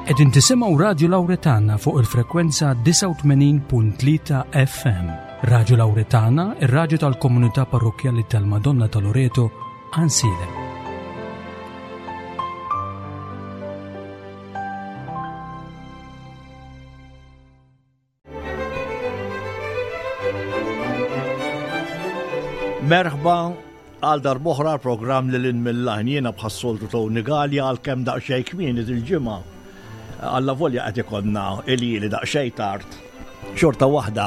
Qegħdin tisimgħu Radju Lawretana fuq il-frekwenza 89.3 FM. Radju Lawretana, ir-radju tal-komunità parrokkjali tal-Madonna ta' Loreto, Għansielem. Merħba għal darboħra l-programm li l-in mill-lajn jiena bħas-soltu Tony Gallia għal kemm daqsxejn kmieni dil-ġimgħa. Alla volja qed ikollna ilili daqsxejn tard. Xorta waħda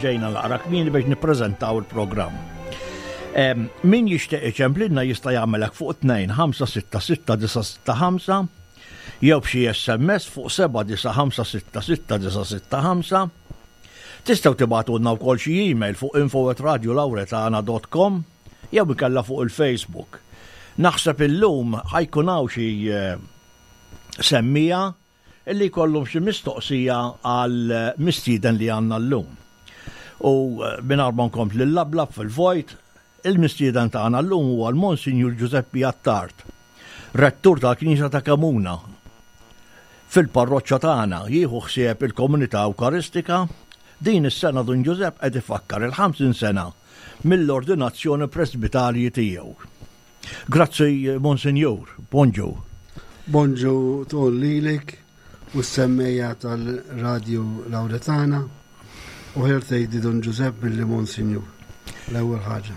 ġejna naqra kmieni biex nippreżentaw il-programm. Min jixtieq iċemplilna jista' jagħmelek fuq 2 5 6 6 9 6 5 jew b'xi SMS fuq 7956665. Tistgħu tibagħtulna wkoll xi email fuq info@radiolauretana.com jew inkella fuq il-Facebook. Naħseb illum ħa jkun hawn xi eh, semmija illi jkollhom xi mistoqsija għal mistieden li għandna llum. U eh, mingħajr ma nkompli l-lablab fil-vojt, il-mistieden tagħna llum huwa l-Monsinjur Ġużeppi Attard. Rettur tal-Knisja ta' Kemuna fil-parroċċa tagħna jieħu ħsieb il-komunità Ewkaristika. Din is-sena Dun Ġużepp qed ifakkar il-50 sena mill-ordinazzjoni presbitarji tiegħu. Grazzi Monsinjur, bonġu. Bonġu ton lilek u s-semmejja tal-Radju Lawretana u ħer tgħidli Dun Ġużepp milli Monsinjur. L-ewwel ħaġa.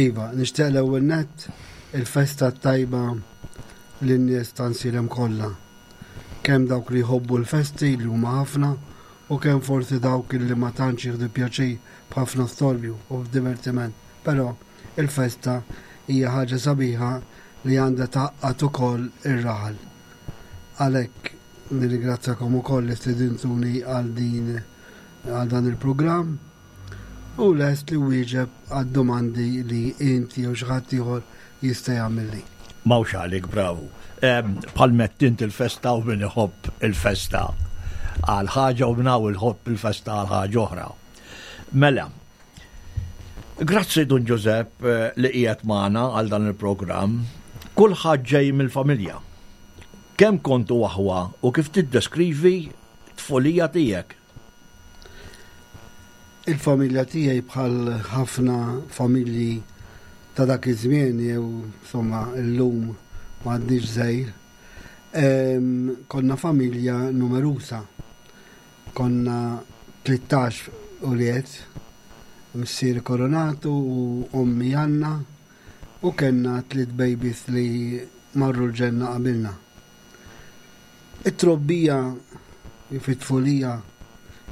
Iva, nixtieq l-ewwel nett il-festa t-tajba lin-nies ta' Nsielem kollha. Kemm dawk li jħobbu l-festi li huma ħafna u kemm forsi dawk li ma tantx jieħdu pjaċir b'ħafna storbju u b'divertiment. Però il-festa hija ħaġa sabiħa li għandha tgħaqqad ukoll ir-raħal. Għalhekk nirringrazzjakom ukoll li stedintuni għal din għal dan il-programm u lest li wieġeb għad-domandi li inti jew xi ħadd ieħor jista' jagħmilli. Mawx għalik, bravu. Bħal mett int il-festa u min iħobb il-festa għal ħaġa u minn hawn il-ħobb il-festa għal ħaġa oħra. Mela, grazzi Dun Ġużepp eh, li qiegħed magħna għal dan il-programm. Kulħadd ġej mill-familja. Kemm kontu aħwa u kif tiddeskrivi tfulija tiegħek? Il-familja tiegħi bħal ħafna familji ta' dak iż-żmien jew insomma llum m'għadniex żgħir, konna familja numerusa. Konna 13 ulied, missieri Koronatu u ommi Anna u kellna tliet babies li marru l-ġenna qabilna. It-trobbija fit-tfulija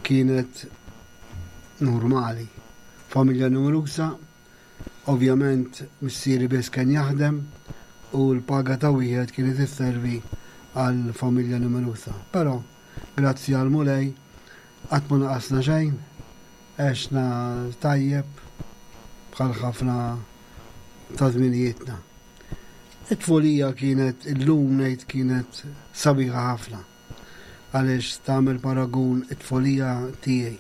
kienet normali. Familja numerusa, ovvjament missieri biss kien jaħdem u l-paga ta' wieħed kienet isservi għal familja numerusa. Però, grazzi għal Mulej, qatt ma naqasna xejn, għexna tajjeb bħal ħafna ta' żminijietna. It-tfulija kienet, illum ngħid kienet sabiħa ħafna. Għaliex tagħmel paragun it-tfulija tiegħi,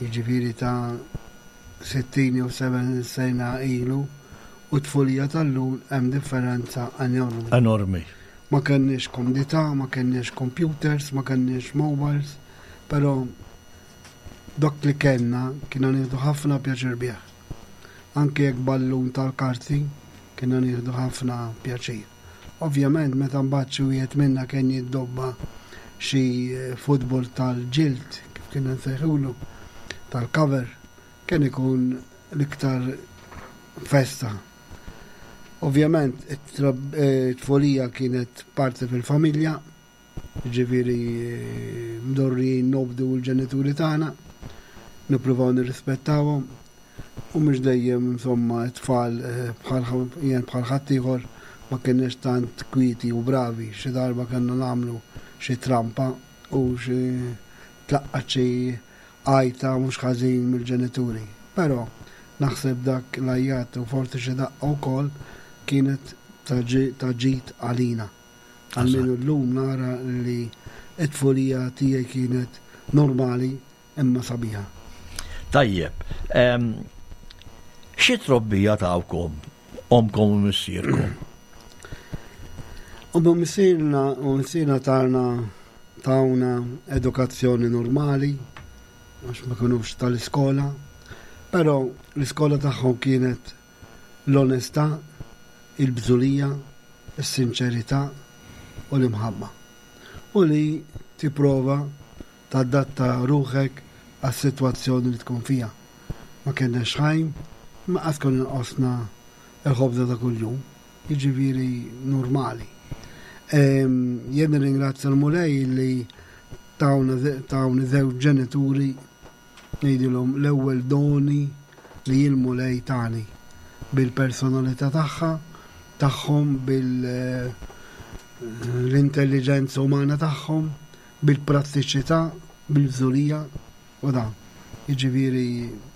jiġifieri ta' 60 jew 70 sena ilu, u t-tfulija tal-lum hemm differenza enormi. Enormi. Ma kenniex komdità, ma kenniex computers, ma kenniex mobiles, però dak li kellna kienna nieħdu ħafna pjaċir bih. Anke jekk ballun tal-karti, kienna nieħdu ħafna pjaċir. Ovvjament meta mbagħad xi wieħed minna kien jiddobba xi futbol tal-ġild, kif kienna nsejħulu, tal-cover, kien ikun l-iktar festa. Ovvjament it-tfulija kienet parti fil-familja, Jiġifieri mdorrijin nobdu l-ġenituri tagħna, nippruvaw nirrispettawhom u mhux dejjem insomma t-tfal eh, bħal jien bħal ħaddieħor ma kienx tant kwieti u bravi, xi darba kellna nagħmlu xi trampa u xi tlaqqat xi għajta mhux ħażin mill-ġenituri. Però naħseb dak l-għajjat u forsi xi daqqa wkoll kienet ta' ġid għalina. Almenu llum nara li t-tfulija tiegħi kienet normali imma sabiħa. Tajjeb. Xi trobbija tawkom omkom u missierkom? U missierna u missierna tana tawna edukazzjoni normali għax ma kinux tal-iskola, però l-iskola tagħhom kienet l-onestà, il-bżulija, is-sinċerità u l-imħabba. U li tipprova tadatta ruħek għas-sitwazzjoni li tkun fiha. Ma kellniex ħajm, imma qatt konna nqosna l-ħobża ta' kuljum, jiġifieri normali. Jien nirringrazzja l-Mulej li tawni żewġ ġenituri ngħidilhom l-ewwel doni li l-Mulej tani bil-personalità tagħha, tagħhom, bil-intelliġenza umana tagħhom, bil-prattiċità, bil-bżulija u dan. Jiġifieri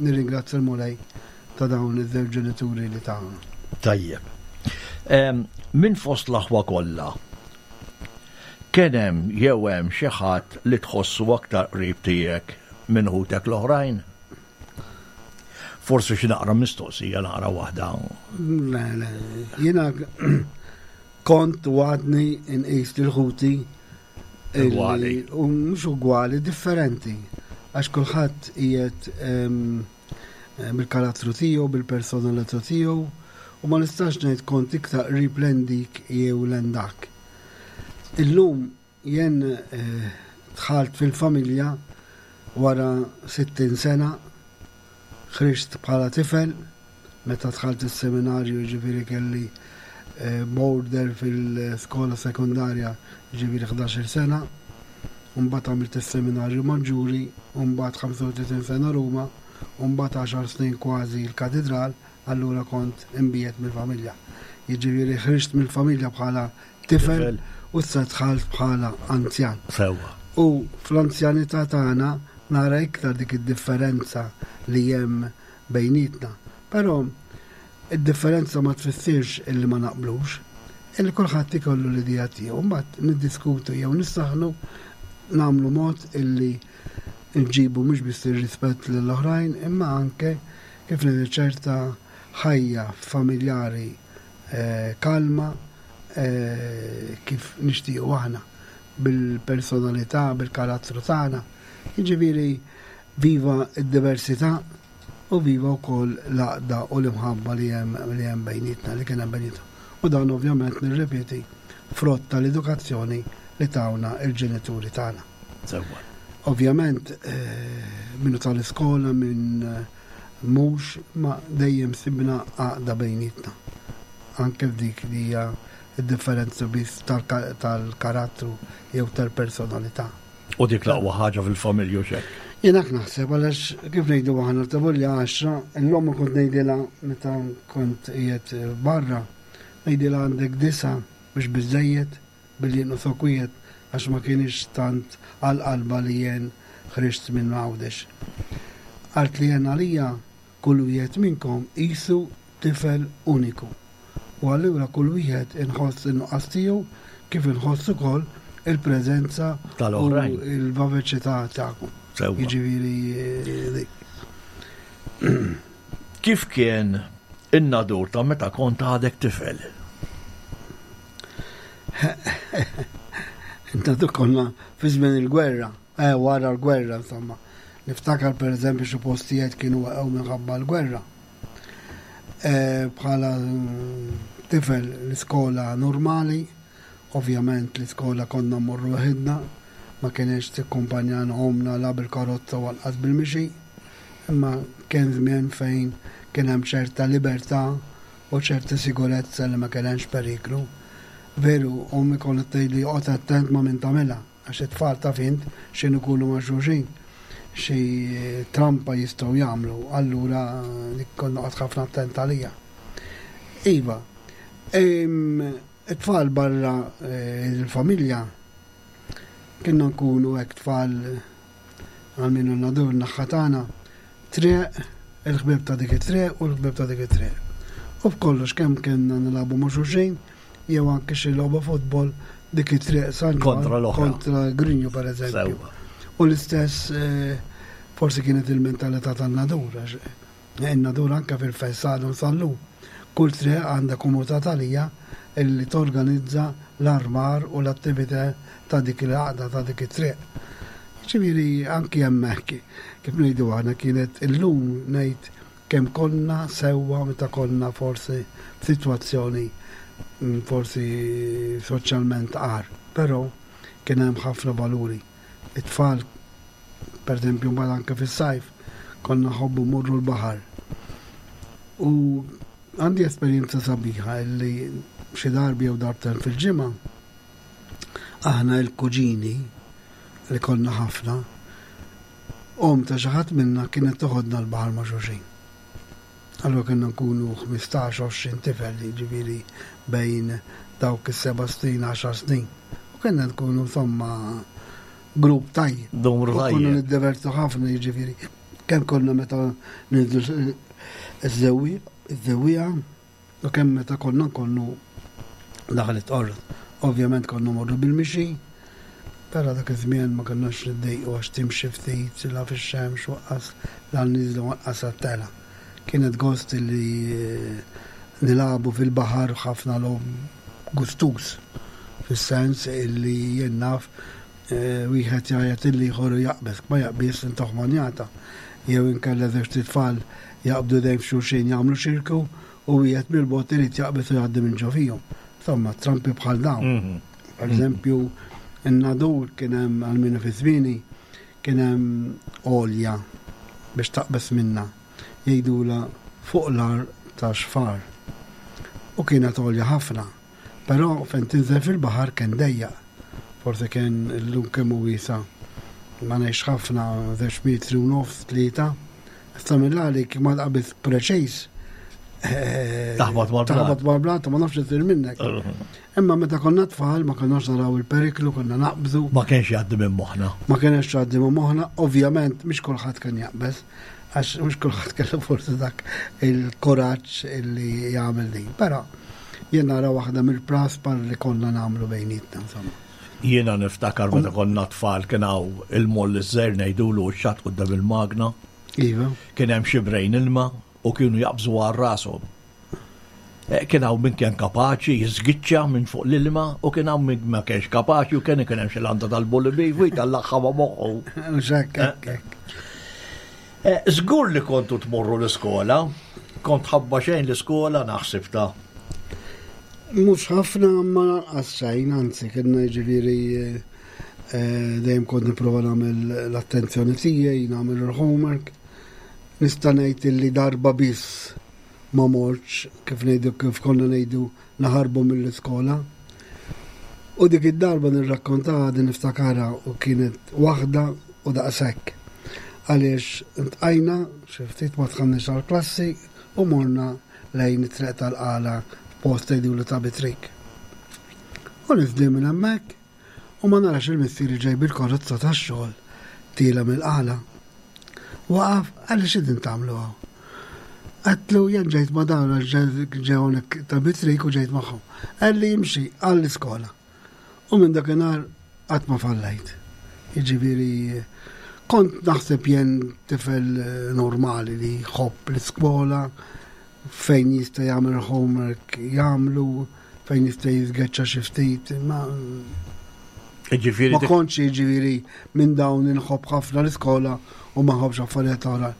nirringrazzja l-Mulej ta' dawn iż-żewġ ġenituri li tawna. Tajjeb. Minn fost l-aħwa kollha, kien hemm jew hemm xi ħadd li tħossu aktar qrib tiegħek minn ħutek l-oħrajn? Forsi xi naqra mistoqsija naqra waħda. Le, le, jiena kont u għadni nqis lil ħuti Ugwali. U mhux ugwali, differenti. Għax kulħadd qiegħed bil-karattru tiegħu, bil-personalità tiegħu, u ma nistax ngħid kont iktar qrib lejn dik jew lejn dak. Illum jien eh, dħalt fil-familja wara 60 sena, ħriġt bħala tifel, Meta dħalt is-seminarju jiġifieri kelli border fil-skola sekondarja jiġifieri 11-il sena, u mbagħad għamilt is-seminarju maġġuri, u mbagħad 35 sena Ruma, u mbagħad għaxar snin kważi l-Katidral, allura kont imbiegħed mill-familja. Jiġifieri ħriġt mill-familja bħala tifel u issa dħalt bħala anzjan. Sewwa. U fl-anzjanità tagħna nara iktar dik id-differenza li hemm bejnietna. Però id-differenza ma tfissirx illi ma naqblux, illi kulħadd ikollu l-idea tiegħu, mbagħad niddiskutu jew nissaħnu nagħmlu mod illi nġibu mhux biss ir-rispett lill-oħrajn imma anke kif ngħidu ċerta ħajja familjari eh, kalma eh, kif nixtiequ aħna bil-personalità, bil-karattru tagħna. Jiġifieri viva d-diversità u viva wkoll l-għaqda u l-imħabba li hemm li hemm bejnietna, li kien hemm bejnietna. U dan ovvjament nirrepeti frott tal-edukazzjoni li tawna il-ġenituri tagħna. Sewwa. Ovvjament eh, minnu tal-iskola minn eh, mhux ma dejjem sibna għaqda bejnietna. Anke f'dik li hija d-differenza biss tal-karattru jew tal-personalità. U dik l-aqwa ħaġa fil-familja u xek. Jien hekk naħseb għaliex kif ngħidu aħna tavolja 10, l-omma kont ngħidilha meta kont qiegħed barra, ngħidilha għandek disa biex biżejjed billi jinqosok wieħed għax ma kienx tant għal qalba li jien ħriġt minn Għawdex. Qalt li jien għalija kull wieħed minnkom qisu tifel uniku. U allura kull wieħed inħoss in-nuqqas tiegħu kif inħoss ukoll il-preżenza tal-oħrajn. U l-vaveċità tagħkom. Jiġifieri eh, dik. Kif kien in-nadur ta' meta kont għadek tifel? Intantu konna fi żmien il-gwerra, eh, wara l-gwerra insomma. Niftakar per eżempju xi postijiet kienu waqgħu minħabba l-gwerra. Eh, bħala tifel l-iskola normali, ovvjament l-iskola konna mmorru waħidna, ma kienx tikkumpanjana omna la bil-karozza u anqas bil-mixi, imma kien żmien fejn kien hemm ċerta libertà u ċerta sigurezza li ma kien hemmx periklu. Veru, ommi kont tgħidli oqgħod attent ma' min tagħmilha. Għax it-tfal taf int x'inhu jkunu ma' xulxin, xi trampa jistgħu jagħmlu, allura dik kont noqgħod ħafna attent għalija. Iva, it-tfal barra eh, il-familja kienna nkunu hekk tfal għal minnu nadur naħħa tagħna triq il-ħbieb ta' dik it-triq u l-ħbieb ta' dik it-triq. U b'kollox kemm kienna nilagħbu ma' xulxin, jew anke xi logħba futbol dik it-triq San Kontra l-oħra. Kontra Grinju per eżempju. U l-istess eh, forsi kienet il-mentalità tan-nadur, għax eh, in-nadur anke fil-fest għadhom sal-lum. Kull triq għandha komunità talija illi torganizza l-armar u l-attività ta' dik il-għaqda ta' dik it-triq. Ġifieri anki hemmhekk kif ngħidu aħna kienet illum ngħid kemm konna sewwa meta konna forsi f'sitwazzjoni mm, forsi soċjalment agħar, però kien hemm ħafna valuri. It-tfal Per eżempju, mbagħad anke fis-sajf konna nħobbu mmorru l-baħar. U għandi esperjenza sabiħa illi xi darbi jew darbtejn fil-ġimgħa aħna il-kuġini li konna ħafna, om ta' xi ħadd minna kienet toħodna l-baħar ma' xulxin. Allura kellna nkunu 15-20 tifel, jiġifieri bejn dawk is-seba' snin, għaxar snin. U kellna nkunu insomma grupp tajjeb. Numru tajjeb. Konna niddevertu ħafna jiġifieri. Kemm konna meta ninżlu iż-żewwieqa u kemm meta konna nkollu daħlet qorrot. Ovvjament konna morru bil-mixi, però dak iż-żmien ma konniex niddejqu għax timxi ftit la fix-xemx u anqas la n-niżla u anqas għat-telgħa. Kienet gost li nilagħbu fil-baħar ħafna logħob gustuż fis-sens illi jien naf wieħed jgħajjat lill-ieħor u jaqbeż, ma jaqbiżx intuh manjata. Jew inkella żewġt itfal jaqbdu idejn f'xulxin jagħmlu xirku u wieħed mill-bogħod irid jaqbeż u jgħaddi minn ġo fihom. Insomma, trampi bħal dawn. Mhm. Per eżempju, in-Nadur kien hemm għal fi żmieni kien hemm għolja biex taqbeż minna. Jgħidula fuq l-ar ta' xfar. U kienet għolja ħafna. Però fejn tinżel fil-baħar kien dejjaq. Forsi kien illum kemm hu wiesa' ma ngħix ħafna żewġ metri u nofs tlieta. Issa mill-għalik ma tqabiż preċiż. Eh, taħbat mal-blat. Taħbat mal-blat ma nafx isir minnek. Imma meta konna tfal ma konnax naraw il-periklu, konna naqbżu. Ma kienx jgħaddi minn moħħna. Ma kienx jgħaddi minn moħħna, ovvjament mhix kulħadd kien jaqbeż, għax mhux kulħadd kellu forsi dak il-kuraġġ illi jagħmel din. Però jien nara waħda mill-praspar li konna nagħmlu bejnietna insomma. Jiena niftakar meta konna tfal kien hawn il-moll iż-żgħir ngħidulu x-xatt quddiem il-magna. Iva. Kien hemm xibrejn ilma u kienu jaqbżu għal rashom. Eh, kien hawn min kien kapaċi jiżgiċċa minn fuq l-ilma u kien hawn min ma kienx kapaċi u kien kien hemm xi landa tal-bulli u jtallaħħa ma' moħħu. Eh. Eh, żgur li kontu tmorru l-iskola, kont ħabba xejn l-iskola naħseb ta' Mhux ħafna ma lanqas xejn, anzi kienna jiġifieri dejjem kont nipprova nagħmel l-attenzjoni tiegħi, nagħmel il-homework. Nista' ngħid illi darba biss ma mortx, kif ngħidu kif konna ngħidu naħarbu mill-iskola. U dik id-darba nirrakkontaha din niftakarha u kienet waħda u daqshekk. Għaliex ntqajna xi ftit ma dħalniex għall-klassi u morna lejn it-triq tal-Qala f'post jgħidulu ta' Bitrik. U niżlin minn hemmhekk u ma narax il-missieri ġej bil-karozza tax-xogħol tiela' mill-Qala. Waqaf, qalli x'qegħdin tagħmlu hawn? Għedtlu jien ġejt ma' dawn għax ġew hawnhekk ta' Bitrik u ġejt magħhom. Qalli imxi għall-iskola. U minn dakinhar qatt ma fallejt. Jiġifieri kont naħseb jien tifel normali li jħobb l-iskola, fejn jista' jagħmel homework jagħmlu, fejn jista' jiżgeċċa xi ftit, ma Ġifieri ma kontx jiġifieri minn dawn inħobb ħafna l-iskola u ma nħobbx affarijiet oħra.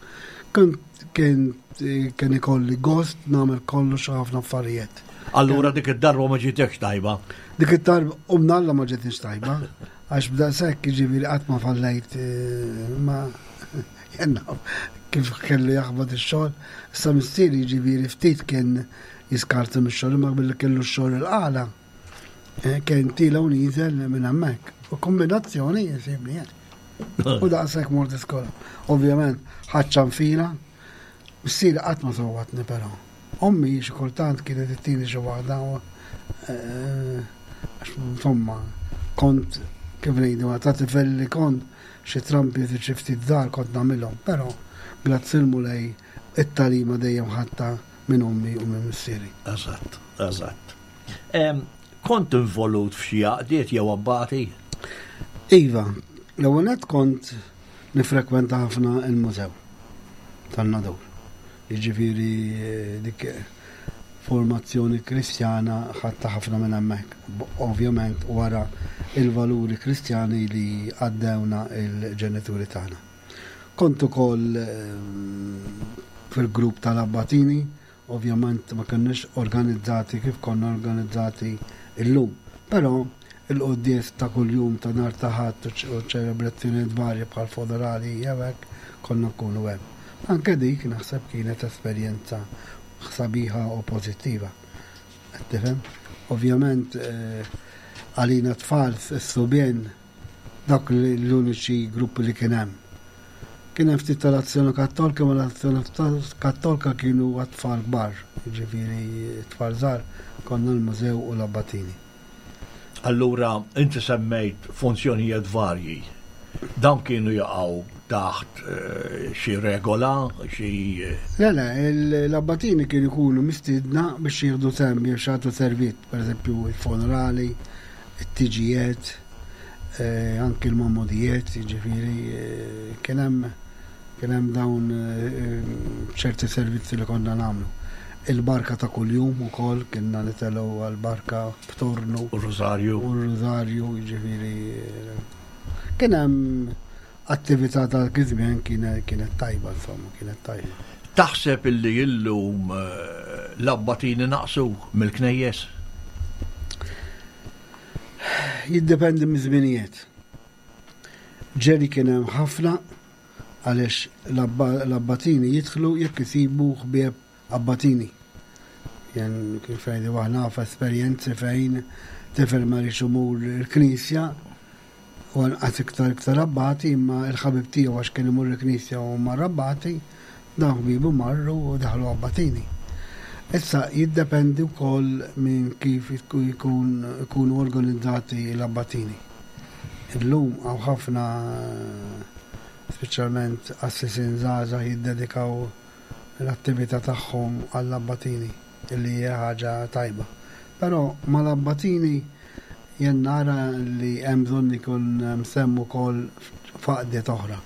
Kont kien kien ikolli gost nagħmel kollox ħafna affarijiet. Allura dik id-darba ma ġietekx tajba. Dik id-darba u mnalla ma ġietniex tajba, għax b'daqshekk jiġifieri qatt ma fallejt eh, ma jenna kif kellu jaħbad ix-xogħol. Issa missieri jiġifieri ftit kien jiskarta mix-xogħol imma billi kellu x-xogħol il-qala. Eh, kien tila u niżel minn hemmhekk. U kombinazzjoni jisibni hekk. U daqshekk mort iskola. Ovvjament, ħadd ċanfira, missieri qatt ma sawwatni però. Ommi xi kultant kienet ittini xi waħda eh, għax insomma kont kif ngħidu ta' tifel li kont xi trampi xi ftit żgħar kont nagħmilhom, però grazzi l-Mulej it-tagħlima dejjem ħadtha minn ommi u minn missieri. Eżatt, eżatt. Kont involut f'xi għaqdiet jew abbati? Iva, l-ewwel nett kont nifrekwenta ħafna il-mużew tan-Nadur. Jiġifieri dik. formazzjoni Kristjana ħadtha ħafna minn hemmhekk, ovvjament wara il-valuri Kristjani li għaddewna il-ġenituri tagħna. Kont ukoll fil-grupp tal-Abbatini, ovvjament ma kenniex organizzati kif konna organizzati illum, però il-quddies ta' kuljum ta' nhar ta' Ħadd u ċelebrazzjonijiet varji bħal funerali jew hekk konna nkunu hemm. Anke dik naħseb kienet esperjenza sabiħa u pożittiva. Qed tifhem? Ovvjament għalina tfal s-subien dawk l-uniċi gruppi li kien hemm. Kien hemm ftit tal-Azzjoni Kattolika, ma l-Azzjoni Kattolika kienu għat-tfal kbar, jiġifieri tfal żgħar konna l-mużew u l-abbatini. Allura inti semmejt funzjonijiet varji. Dawn kienu jaqgħu taħt eh, xi regola, xi. Le, le, l-abbatini kienu jkunu mistiedna biex jieħdu sehem biex jagħtu servizz, pereżempju il-funerali, it-tiġijiet, eh, anki l-mammodijiet, jiġifieri eh, kien hemm kien hemm dawn ċerti servizzi li konna nagħmlu. Il-barka ta' kuljum ukoll kienna nitelgħu għall-barka b'tornu. U r-rużarju. U r-rużarju, jiġifieri kien hemm attività ta' iż-żmien kienet tajba, insomma, kienet tajba. Taħseb illi illum eh, l-abbatini naqsu mill-knejjes? Jiddependi miż-żminijiet. Ġeli kien hemm ħafna għaliex l-abbatini jidħlu jekk isibu ħbieb abbatini. Jen kif ngħidu aħna f'esperjenzi fejn tifel ma rridx imur il-knisja u anqas iktar iktar abbati imma il-ħabib tiegħu għax kien imur il-knisja u mar abbati, dawn ħbiebu marru u daħlu abbatini. Issa jiddependi wkoll minn kif ikunu organizzati l-abbatini. Illum hawn ħafna speċjalment qassisin żgħażagħ jiddedikaw l-attività tagħhom għall-abbatini, illi hija ħaġa tajba. Però mal-abbatini jien nara li hemm bżonn ikun hemm sehem ukoll f'għaqdiet oħra.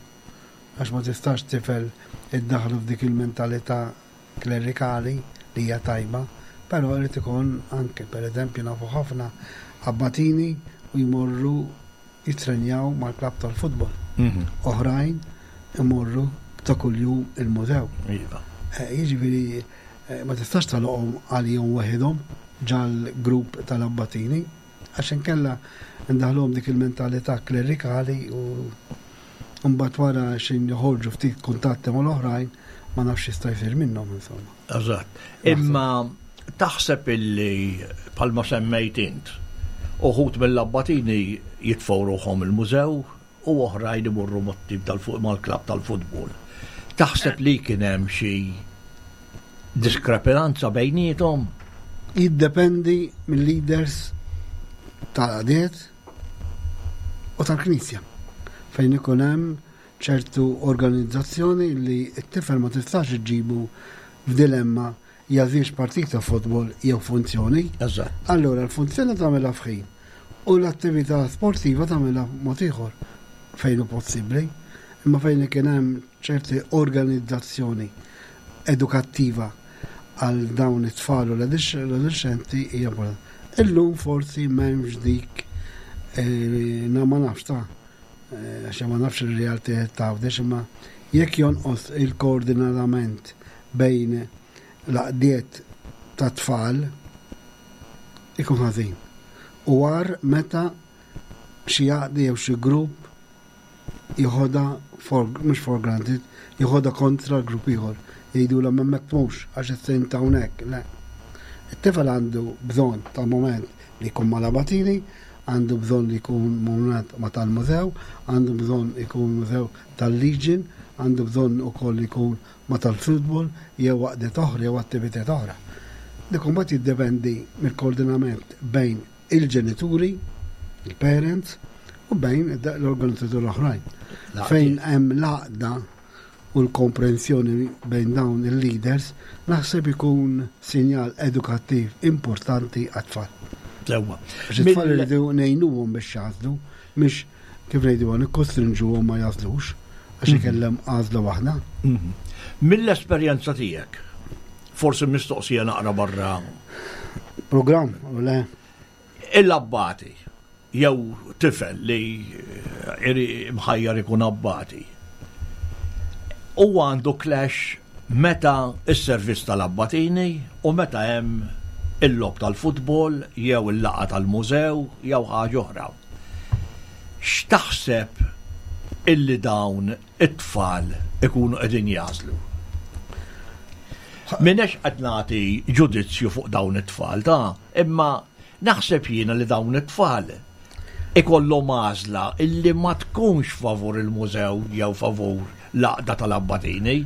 Għax ma tistax tifel iddaħħlu f'dik il-mentalità klerikali li hija tajba, però irid ikun anke, pereżempju nafu ħafna abbatini u jmorru jittrenjaw mal-klabb tal-futbol. Mhm. Oħrajn imorru ta' kuljum il-mużew. Iva. Eh, jiġifieri eh, ma tistax tagħluqhom għalihom waħedhom ġal-grupp tal-abbatini, għax inkella ndaħluhom dik il-mentalità klerikali u mbagħad wara xejn joħorġu ftit kuntatti mal-oħrajn ma nafx jista' jsir minnhom insomma. Eżatt. Imma taħseb illi bħalma semmejt int, uħud mill-abbatini jitfgħu ruħhom il-mużew u oħrajn imorru mat-tim tal-fuq mal-klabb tal-futbol. Taħseb li kien hemm xi diskrepanza bejniethom? Jiddependi mill-leaders tal-għadiet u tal-Knisja fejn ikun hemm ċertu organizzazzjoni li t-tifel ma tistax iġġibu f'dilemma jagħżilx partita futbol jew funzjoni. Eżatt. Allura l-funzjoni tagħmilha f'ħin u l-attività sportiva tagħmilha mod ieħor fejn hu possibbli. Imma fejn kien hemm ċerti organizzazzjoni edukattiva għal dawn it-tfal u l-adolescenti hija importanti. Illum forsi m'hemmx dik eh, na ma nafx ta' eh, għax ma nafx il-realtà ta' għawdex imma jekk jonqos il-koordinament bejn l-għaqdiet ta' tfal ikun ħażin. U għar meta xi għaqdi jew xi grupp joħodha for, mhux for granted, joħodha kontra l-grupp ieħor. Jgħidulhom hemmhekk mhux għax is-sejn ta' hawnhekk, le. It-tifel għandu bżonn ta' moment li jkun mal-abatini, għandu bżonn li jkun moment ma' tal-mużew, għandu bżonn ikun mużew tal-Legion, għandu bżonn ukoll jkun ma' tal-futbol jew għaqdiet oħra jew attivitajiet oħra. Dik imbagħad jiddependi mill-koordinament bejn il-ġenituri, il-parents, u bejn l-organizzaturi l-oħrajn. Fejn hemm l-għaqda u l-komprensjoni bejn dawn il-leaders, naħseb ikun sinjal edukattiv importanti għat-tfal. Sewwa. Għax it-tfal irridu ngħinuhom biex jagħżlu, mhix kif ngħidu nikkostrinġuhom ma jagħżlux, għax mhm. ikellem għażla waħda. Mhm. Mill-esperjenza tiegħek. Forsi mistoqsija naqra barra. Programm, u le? Il-abbati, jew tifel li eh, mħajjar ikun abbati. U għandu clash meta s-servizz tal-abbatini u meta hemm il-logħob tal-futbol jew il-laqgħa tal-mużew jew ħaġa oħra. X'taħseb illi dawn it-tfal ikunu qegħdin jagħżlu? M'iniex qed nagħti ġudizzju fuq dawn it-tfal ta' imma naħseb jiena li dawn it-tfal ikollhom għażla illi ma tkunx favur il-mużew jew favur l-għaqda tal-abbatini.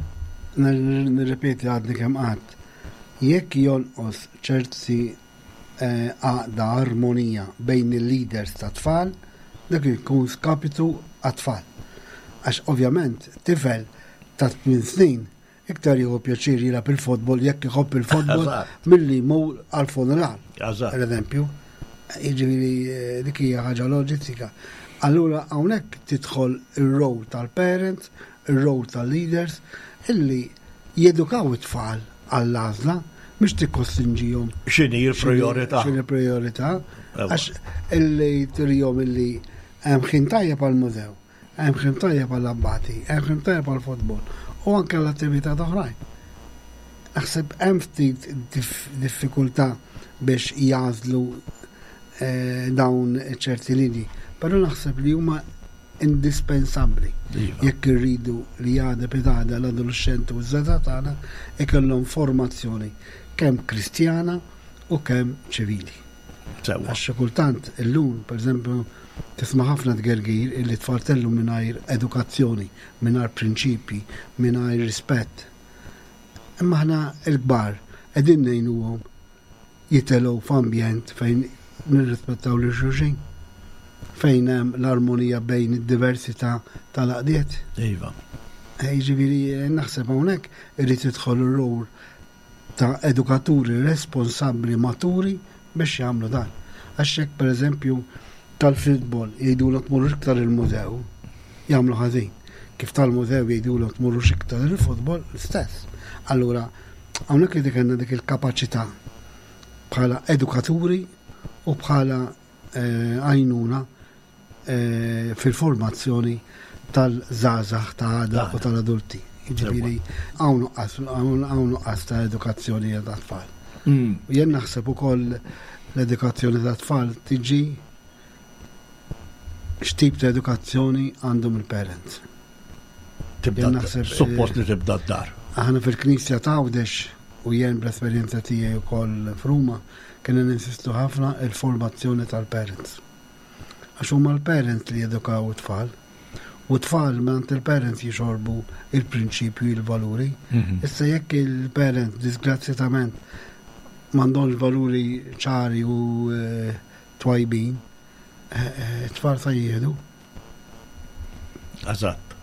Nirrepeti għadni kemm qatt. Jekk jonqos ċerti eh, għaqda armonija bejn il-leaders ta' tfal, dak ikun skapitu għat-tfal. Għax ovvjament tifel ta' 8 snin Iktar jieħu pjaċir jilgħab il-futbol jekk iħobb il-futbol milli jmur għall-funeral. Per eżempju, jiġifieri eh, dik hija ħaġa loġistika. Allura hawnhekk tidħol ir-role tal-parents, ir-role tal-leaders illi jedukaw it-tfal għall-għażla mhux tikkostrinġihom. X'inhi l-priorità? X'inhi l-priorità? Għax illi turihom illi hemm ħin tajjeb għall-mużew. Hemm ħin tajjeb għall-abbati, hemm ħin tajjeb għall-futbol u anke għall-attività oħrajn. Naħseb hemm ftit diffikultà biex jagħżlu eh, dawn ċerti linji, però naħseb li huma indispensabbli iva. jekk irridu li għada pitgħada l-adolescenti u ż-żgħażagħ tagħna ikollhom formazzjoni kemm Kristjana u kemm ċivili. Sewwa. Għax xi kultant illum, pereżempju, tisma' ħafna tgergir illi tfal tellu mingħajr edukazzjoni, mingħajr prinċipji, mingħajr rispett. Imma aħna l-kbar qegħdin ngħinuhom jitelgħu f'ambjent fejn nirrispettaw lil xulxin, fejn hemm l-armonija bejn id-diversità tal-għaqdiet. Iva. Eh, jiġifieri eh, naħseb hawnhekk irid jidħol ir-rol ta' edukaturi responsabbli maturi biex jagħmlu dan. Għax jekk pereżempju tal-futbol jgħidulhom tmorrux iktar il-mużew, jagħmlu ħażin. Kif tal-mużew jgħidulhom tmorrux iktar il-futbol, l-istess. Allura, hawnhekk li dik dik il-kapaċità bħala edukaturi u bħala eh, għajnuna eh, fil-formazzjoni tal-żgħażagħ ta' għada u tal-adulti. Jiġifieri hawn nuqqas ta' edukazzjoni ta' tfal. Mm. Jien naħseb ukoll l-edukazzjoni ta' tfal tiġi x'tip ta' edukazzjoni għandhom il-parents. Tibda naħseb suppost li tibda d-dar. Aħna fil-Knisja ta' Għawdex u jien bl-esperjenza tiegħi wkoll f'Ruma kienu ninsistu ħafna il-formazzjoni tal-parents. Għax huma l-parents li jedukaw it-tfal. U t-tfal mingħand il-parents jixorbu il-prinċipju, il-valuri. Mhm. Issa jekk il-parents disgrazzjatament m'għandhomx valuri ċari u eh, twajbin, eh, eh, it-tfal sa jieħdu. Eżatt.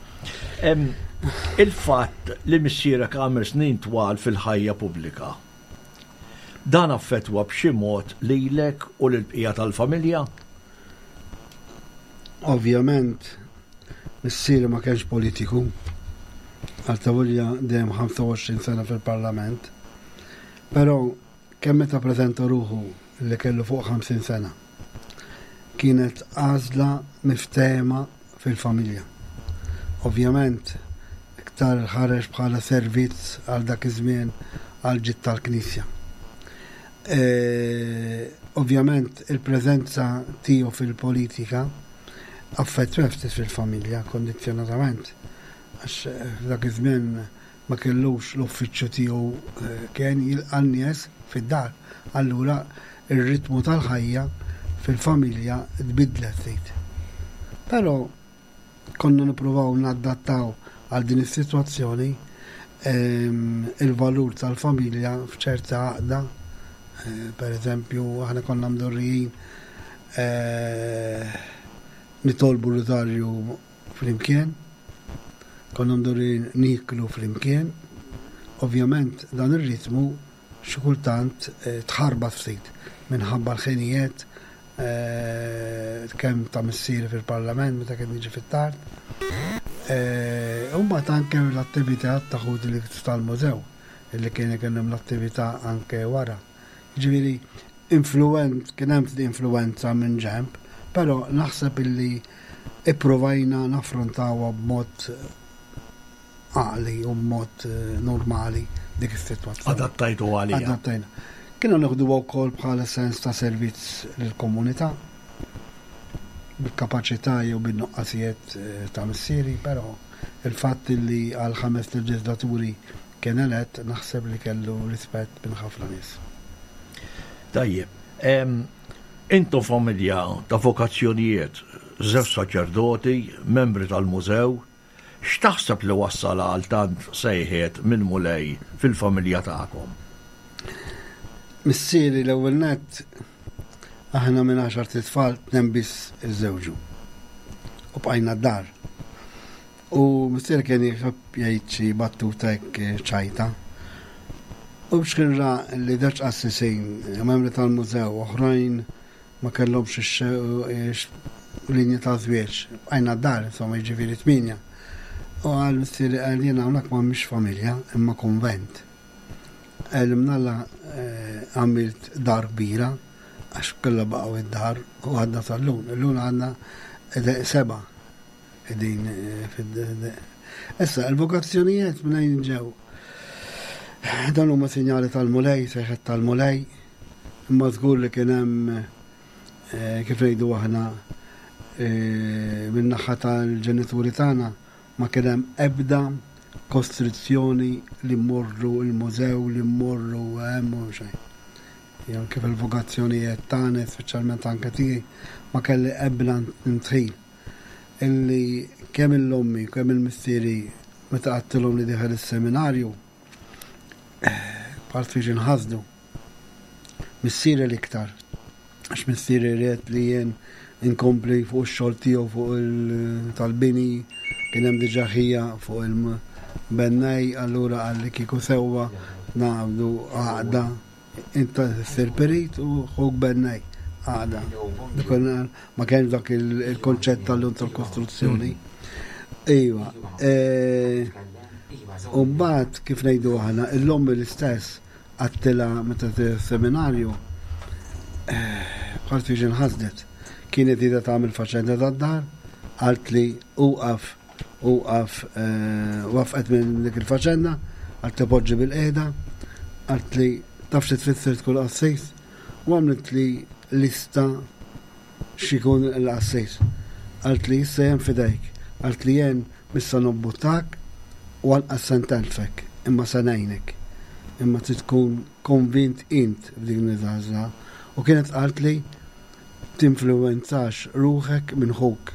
Il-fatt li missierek għamel snin twal fil-ħajja pubblika Dan affettwa b'xi mod lilek u lill-bqija tal-familja? Ovvjament, missieri ma kienx politiku, għal dejjem 25 sena fil-Parlament, però kemm meta preżenta ruħu li kellu fuq 50 sena. Kienet għażla miftehma fil-familja. Ovvjament, iktar ħareġ bħala servizz għal dak iż-żmien għal ġid tal-Knisja. E, ovvjament il-preżenza tiegħu fil-politika affettwa ftit fil-familja kondizzjonatament għax f'dak iż-żmien ma kellux l-uffiċċju tiegħu eh, kien jilqa' n-nies fid-dar. Allura ir-ritmu tal-ħajja fil-familja tbiddlet ftit. Però konna nippruvaw nadattaw għal din is-sitwazzjoni ehm, il-valur tal-familja f'ċerta għaqda. Eh, per eżempju, aħna konna mdorrijin eh, nitolbu r-rużarju flimkien, konna mdorrijin niklu flimkien. Ovvjament dan ir-ritmu xi kultant eh, tħarbat ftit minħabba l-ħinijiet eh, kemm ta' missieri fil-parlament meta kien jiġi fit-tard. Eh, u mbagħad anke l-attività ta' ħudi li tal-mużew. illi kien ikun l-attività anke wara. Ġifieri influent kien hemm influenza minn ġemp, però naħseb illi ipprovajna naffrontawha b'mod għaqli u b'mod eh, normali dik is-sitwazzjoni. Adattajtu għalija. Adattajna. Kienu nieħdu wkoll bħala sens ta' servizz lill-komunità bil-kapaċità jew bin-nuqqasijiet eh, ta' missieri, però il-fatt li għal ħames leġislaturi kien elett naħseb li kellu rispett minn ħafna nies. Tajjeb, intom familja ta' vokazzjonijiet, żewġ saċerdoti, membri tal-mużew, X'taħseb li wassal għal tant sejħiet mill-Mulej fil-familja tagħkom? Missieri l-ewwel nett aħna minn għaxart itfal tnejn biss iżżewġu. U bqajna d-dar. U missieri kien jħobb jgħid xi battuta hekk ċajta. U biex kien ra li żewġ qassisin, membri tal-mużew, oħrajn ma kellhomx linja ta' żwieġ. Bqajna d-dar, insomma, jiġifieri tmienja. U qal missieri qal jiena hawnhekk ma mhix familja, imma kunvent. Qal imnalla eh, għamilt dar kbira, għax kollha baqgħu id-dar u għadna sal-lum. Illum għandna seba' qegħdin eh, fid Issa, il-vokazzjonijiet minn ġew. Dan huma sinjali tal-Mulej, sejħet tal-Mulej, Imma żgur li kien hemm eh, kif ngħidu aħna eh, min-naħa tal-ġenituri tagħna ma kien hemm ebda kostrizzjoni li mmorru il-mużew, li mmorru hemm u xejn. Jew kif il-vokazzjonijiet tagħna, speċjalment anke tiegħi, ma kelli ebda ntħil. Illi kemm il-ommi, kemm il-missieri meta għattilhom li dieħel is-seminarju, bħal biex inħasdu. Missieri l-iktar, għax missieri ried li jien inkompli fuq ix-xogħol tiegħu fuq il-tal-bini, kien hemm diġà ħija fuq il-bennej, allura qal li kieku sewwa naqbdu għaqda inta ssir perit u ħuk bennej għaqda. Ma kienx dak il-konċett tal-lum tal-kostruzzjoni. Iva. E, u mbagħad kif ngħidu aħna, l-ommi l-istess għattila meta seminarju eh, bħal tiġi nħasdet. Kienet ida tagħmel faċenda tad-dar, qalt li uqaf uqaf eh, wafqet minn dik il-faċenda, għalt li poġġi bil-qiegħda, qalt li taf xi tfisser tkun qassis, u għamlet li lista x'ikun il-qassis. Qalt li issa jen fidejk, qalt li jen mhux se nobbuttak u anqas se ntellfek, imma se ngħinek. Imma trid tkun konvint int f'din l-għażla. U kienet qaltli tinfluwenzax ruħek minn ħuk.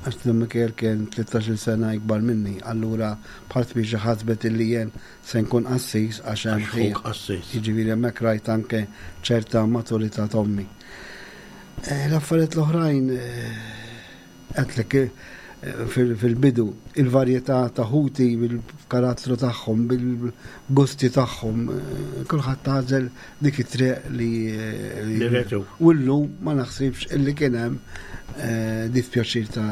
Għax Dun Mikiel kien 13-il sena ikbar minni, allura bħal spiċi ħasbet illi jien se nkun qassis għax hemm ħuk qassis. Jiġifieri hemmhekk rajt anke ċerta maturità t'ommi. Eh, l-affarijiet l-oħrajn eh, għedtlek eh, fil-bidu il-varjetà ta' ħuti bil-karattru tagħhom, bil-gusti tagħhom, kulħadd għażel dik it-triq li li U llum ma naħsibx illi kien hemm dispjaċir ta'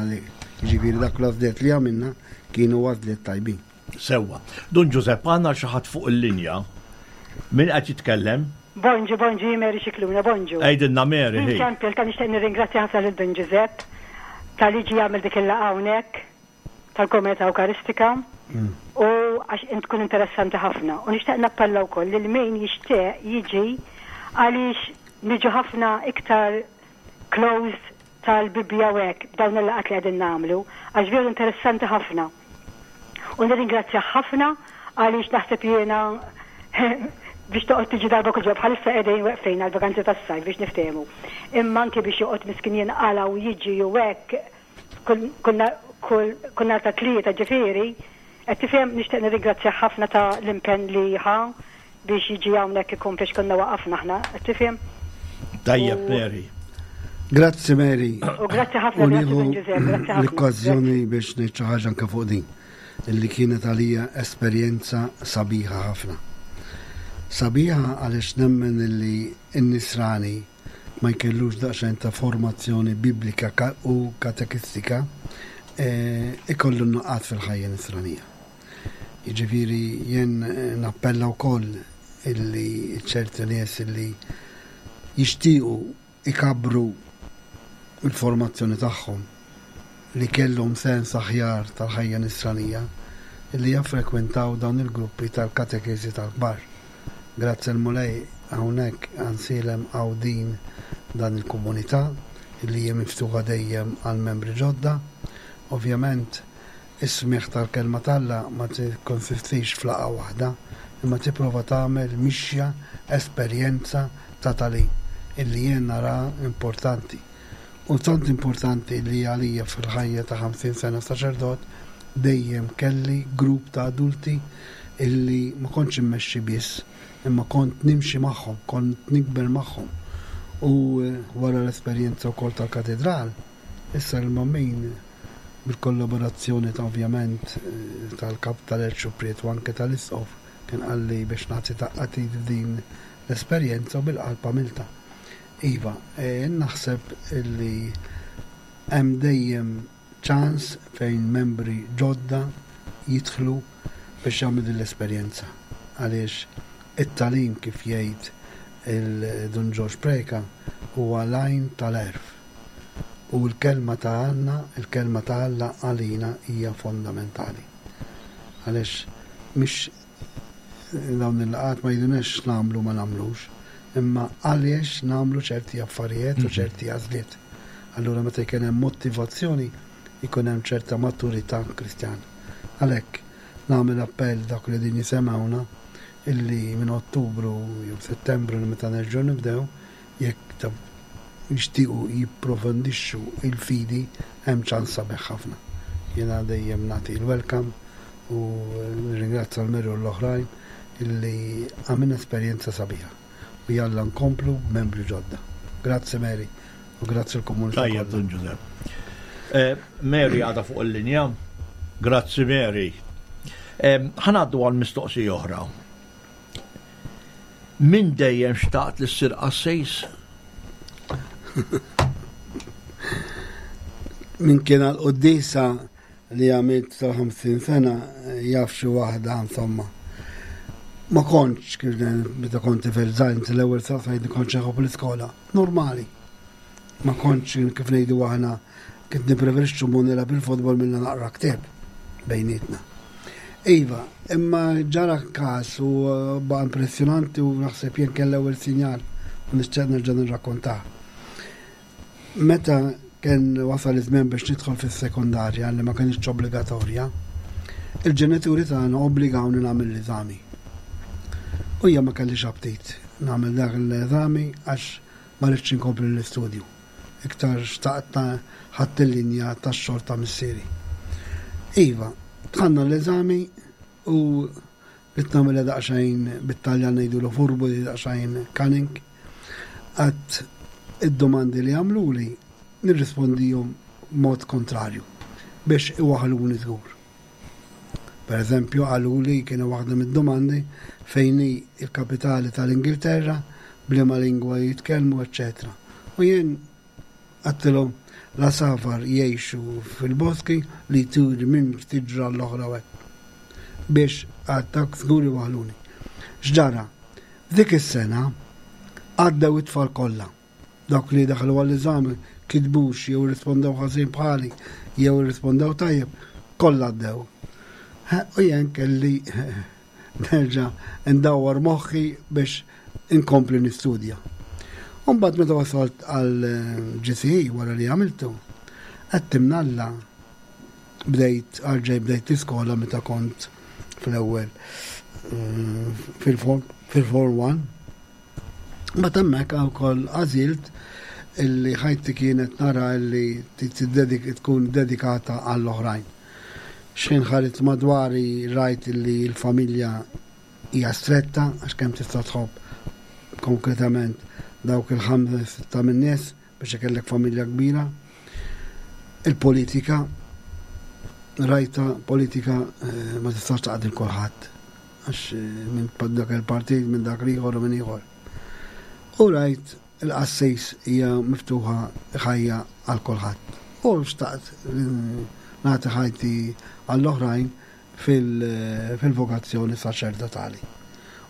ġifieri dak l-għażliet li għamilna kienu għażliet tajbin. Sewwa. Dun Ġużepp, għandna xi ħadd fuq il-linja. Min qed jitkellem? Bonġu, bonġu, jien Mary Scicluna, bonġu. Għidilna Mary, hi. Ċempel ta' nixtieq nirringrazzja ħafna lil Dun Ġużepp talli ġie jagħmel dik il-laqgħa hawnhekk tal-Komunità Ewkaristika u għax int tkun interessanti ħafna. U nixtieq nappella wkoll lil min jixtieq jiġi għaliex niġu ħafna iktar close tal-Bibbja u hekk b'dawn il-laqgħat li qegħdin nagħmlu għax veru interessanti ħafna. U nirringrazzjah ħafna għaliex naħseb jiena biex toqgħod tiġi darba kull ġimgħa bħalissa qegħdin weqfin għall-vaganzi tas-sajf biex niftehmu. Imma anki biex joqgħod miskin jinqala' u jiġi u hekk kull kull kull nhar ta' Tlieta ġifieri qed tifhem nixtieq nirringrazzjah ħafna ta' l-impenn li ħa biex jiġi hawnhekk ikompli x'konna waqafna aħna, qed tifhem? Tajjeb Mary. Grazzi Mary. U grazzi ħafna grazzi Dun Ġużepp, grazzi ħafna. L-okkażjoni biex ngħid xi ħaġa anke fuq din illi kienet għalija esperjenza sabiħa ħafna. Sabiħa għaliex nemmen illi n-nisrani ma jkellux daqsxejn ta' formazzjoni biblika u katekistika eh, ikollu nuqqat fil-ħajja nisranija. Jiġifieri jien nappella wkoll illi ċerti nies illi jixtiequ ikabbru l-formazzjoni tagħhom li kellhom sens aħjar tal-ħajja nisranija illi jaffrekwentaw dawn il-gruppi tal-katekeżi tal-kbar. Grazzi l-Mulej hawnhekk Għansielem hawn din dan il-komunità illi hija miftuħa dejjem għal membri ġodda. Ovvjament Is-smigħ tal-Kelma t'Alla ma tikkonsistix f'laqgħa waħda, imma tipprova tagħmel mixja, esperjenza ta' tagħlim, illi jien naraha importanti. U tant importanti li għalija fil-ħajja ta' 50 sena saċerdot dejjem kelli grupp ta' adulti illi ma kontx immexxi biss, imma kont nimxi magħhom, kont nikber magħhom. U wara l-esperjenza wkoll tal-katedral, issa l-Mammin bil-kollaborazzjoni ta' ovvjament tal-Kap tal-Erċupriet u anke tal-Isqof kien qalli biex nagħti daqqa t'id f'din l-esperjenza u bil-qalb għamiltha. Iva, naħseb li hemm dejjem ċans fejn membri ġodda jidħlu biex jagħmlu din l-esperjenza għaliex it-tagħlim kif jgħid il-Dun Ġorġ Preca huwa l-għajn tal-għerf. U l-kelma ta' Alla, il-kelma ta' Alla għalina hija fondamentali. Għaliex mhix dawn il-laqgħat ma jgħiduniex x'nagħmlu ma nagħmlux, imma għaliex nagħmlu ċerti affarijiet u mhm. ċerti għażliet. Allura meta jkun hemm motivazzjoni jkun hemm ċerta maturità Kristjana. Għalhekk nagħmel appell dak li din jisemgħuna illi minn Ottubru jew Settembru li meta nerġgħu nibdew Jekk jixtiequ jipprofondixxu l-fidi hemm ċans sabiħ ħafna. Jiena dejjem nagħti l-welcome u nirringrazzja l-Mary u l-oħrajn illi għamilna esperjenza sabiħa u jalla nkomplu b'membri ġodda. Grazzi Mary u grazzi l-komunità. Tajjeb Dun Ġużepp. Eh, Mary għadha fuq il-linja. Grazzi Mary. Eh, ħanaddu għal mistoqsija oħra. Minn dejjem xtaqt li ssir qassis? Min kien għal quddisa li għamilt tal-50 sena jaf xi waħda insomma. Ma kontx kif meta kont tifel żgħir l-ewwel saqsajt kontx nħobb l-iskola. Normali. Ma kontx kif ngħidu aħna kont nippreferixxu mmur nilgħab il-futbol milli naqra ktieb bejnietna. Iva, imma ġara każ u eh, baqa' impressjonanti u naħseb jien kien l-ewwel sinjal u nixtieq nerġa' nirrakkontah. Meta kien wasal iż-żmien biex nidħol fis-sekondarja li ma kienx obbligatorja, il-ġenituri tagħna obbligawni nagħmel l-eżami. U jien ma kellix aptit nagħmel dak l-eżami għax Ma ridtx inkompli l-istudju. Iktar xtaqt ħadt il-linja tax-xogħol ta' missieri. Iva, dħalna l-eżami u ridt nagħmilha daqsxejn bit-Taljan ngħidulu furbu li daqsxejn cunning. Għadt id-domandi li għamluli nirrispondihom b'mod kontrarju biex iwaħħluni żgur. Per eżempju, qaluli kienu waħda mid-domandi fejn hi l-kapitali tal-Ingilterra, b'liema lingwa jitkellmu, eċċetera. U jien għedtilhom l-għasafar jgħixu fil-boski li jtiri minn siġra l-oħra u hekk. Biex għad dak żgur iwaħħluni. X'ġara? F'dik is-sena għaddew it-tfal kollha. Dawk li daħlu għall-eżami kitbux jew irrispondew ħażin bħali jew irrispondew tajjeb, kollha għaddew. U jien kelli nerġa' ndawwar moħħi biex inkompli nistudja. U mbagħad meta wasalt għal GCE wara li għamiltu, għedt imnalla bdejt għalġej bdejt l-iskola meta kont fl-ewwel eh, fil-form 1 Mbagħad hemmhekk wkoll għażilt illi ħajti kienet nara illi tkun dedikata għall-oħrajn. Xħin ħarit madwari rajt illi l-familja hija stretta għax kemm tista' tħobb konkretament dawk il-ħamsa sitta min-nies biex ikellek familja kbira. Il-politika rajta politika eh, ma tistax taqdi kulħadd għax eh, minn dak il-partit, minn dak l-ieħor u minn ieħor. U rajt il-qassis hija miftuħa ħajja għal kulħadd. U xtaqt nagħti ħajti għall-oħrajn. fil-vokazzjoni saċerdotali.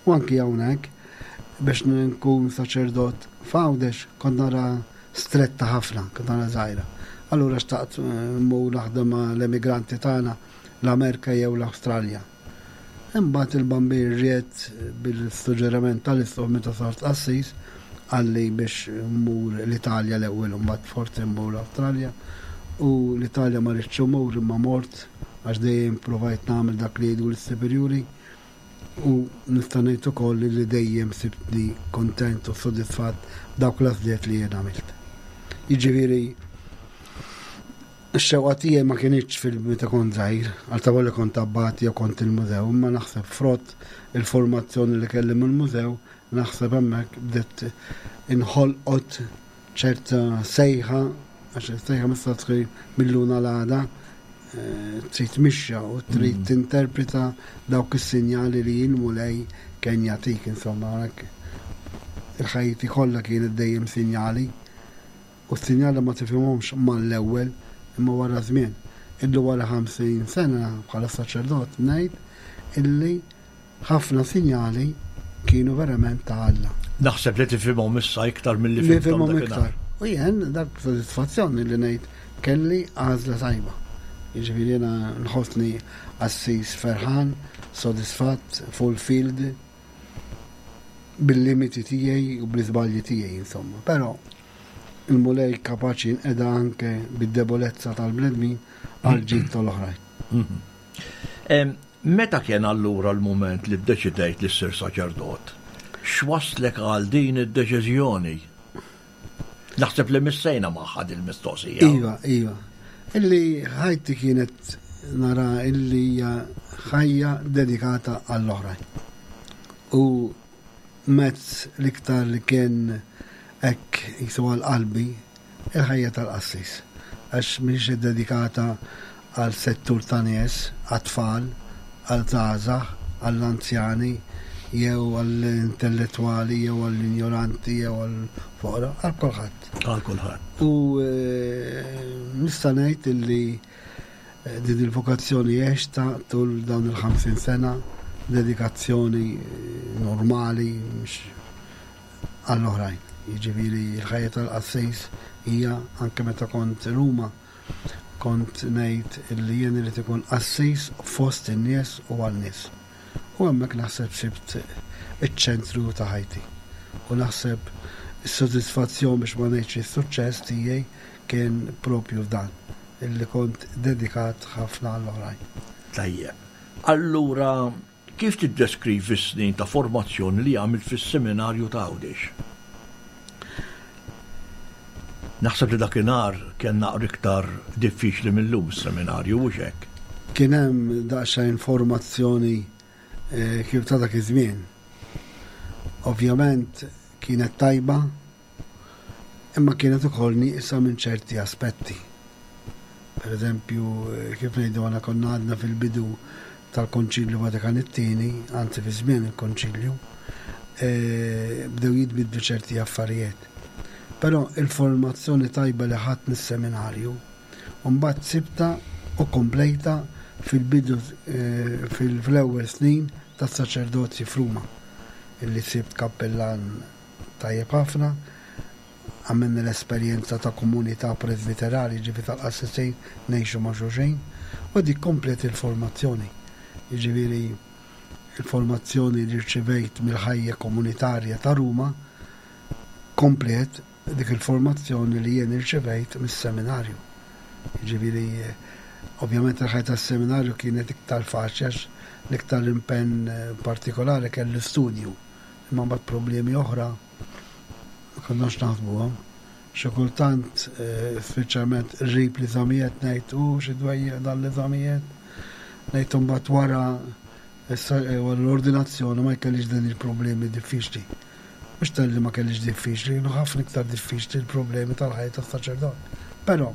U anki hawnhekk biex nkun saċerdot f'Għawdex kont nara stretta ħafna, kont nara żgħira. Allura xtaqt mmur naħdem ma' l-emigranti tagħna l-Amerika jew l-Awstralja. Imbagħad il-Bambin ried bil-suġġeriment tal-Isqof meta sart qassis qalli biex mmur l-Italja l-ewwel u mbagħad forsi mmur l-Awstralja. U l-Italja ma ridtx immur imma mort għax dejjem provajt nagħmel dak li jgħidu l-superjuri u nista' ngħid ukoll li dejjem sibtni kontent u sodisfatt b'dawk l-għażliet li jien għamilt. Jiġifieri Ix-xewqa tiegħi ma kinitx fil meta kont żgħir, għal ta' li kont abbati jew kont il-mużew, imma naħseb frott il-formazzjoni li kelli mill-mużew, naħseb hemmhekk bdiet inħolqot ċerta sejħa, għax is-sejħa ma tistax tkun mil-lum għal għada, eh, trid mixja u trid mm. tinterpreta dawk is-sinjali li l-Mulej kien jagħtik, insomma, il-ħajti kollha kienet dejjem sinjali. U s-sinjali ma tifhimhomx mal-ewwel imma wara żmien. Illi wara 50 sena bħala saċerdot ngħid illi ħafna sinjali kienu verament ta' Alla. Naħseb li tifhimhom issa iktar milli fhimthom iktar. U jien dak sodisfazzjon li ngħid kelli għażla tajba. Jiġifieri jiena nħossni qassis ferħan, sodisfatt, fulfilled bil-limiti tiegħi u bl-iżbalji tiegħi insomma. Però il-Mulej kapaċi jinqeda anke bid-debolezza tal-bnedmin għal ġid tal-oħrajn. Mhm. Meta kien allura l-mument li ddeċidejt li ssir saċerdot? X'waslek għal din id-deċiżjoni? Naħseb li missejna magħha din mistoqsija. Iva, iva. Illi ħajti kienet nara illi hija ħajja dedikata għall-oħrajn. U mezz l-iktar li kien hekk jisu għal qalbi il-ħajja tal-qassis. Għax mhix dedikata għal settur ta' nies, għat-tfal, għal żgħażagħ, għall-anzjani, jew għall-intellettwali, jew għall-injoranti, jew għall-foqra, għal kulħadd. Għal kulħadd. U eh, nista' ngħid illi eh, din il-vokazzjoni għexta tul dawn il-50 sena, dedikazzjoni eh, normali, mhux għall-oħrajn. Jiġifieri l-ħajja tal-qassis hija anke meta kont Ruma Kont ngħid illi jien irid ikun qassis fost in-nies u għan-nies. U hemmhekk naħseb sibt iċ-ċentru ta' ħajti. U naħseb is-sodisfazzjon biex ma ngħidx is-suċċess tiegħi kien propju f'dan, illi kont dedikat ħafna għall-oħrajn. Tajjeb. Allura Kif tiddeskrivi s-snin ta' formazzjoni li għamilt fis-Seminarju ta' Għawdex? Naħseb li dakinhar kien naqra iktar diffiċli mil-lum is-seminarju, hux hekk? Kien hemm daqsxejn formazzjoni eh, kif ta' dak iż-żmien. Ovvjament kienet tajba, imma kienet ukoll nieqsa minn ċerti aspetti. Per eżempju, kif ngħidu għana konna għadna fil-bidu tal-Konċilju Vatikan it-tieni, anzi fi żmien il-Konċilju, e, bdew jitbidlu ċerti affarijiet. Però il-formazzjoni tajba li ħadd mis-seminarju, mbagħad sibta u komplejta fil-bidu e, fil-ewwel snin tas-saċerdozji f'Ruma, illi sibt kappellan Tajjeb ħafna. Għamilna l-esperjenza ta' komunità presbiterali, jiġifieri tal-qassisin ngħixu ma' xulxin, u dik kompliet il-formazzjoni. Jiġifieri il-formazzjoni li rċivejt mill-ħajja komunitarja ta' Ruma kompliet dik il-formazzjoni li jien irċivejt mis-seminarju. Jiġifieri ovvjament il-ħajja tas-seminarju kienet iktar faċli għax l-iktar impenn partikolari kellu studju. Imma mbagħad problemi oħra ma konniex naħsbuhom. Xi kultant, eh, speċjalment qrib l-eżamijiet ngħid u xi dwejjeq dan l-eżamijiet. Ngħid imbagħad wara eh, wara l-ordinazzjoni ma jkellix din il-problemi diffiċli. Mhux talli ma kellix diffiċli, kienu ħafna iktar diffiċli l-problemi tal-ħajja tas-saċerdot. Però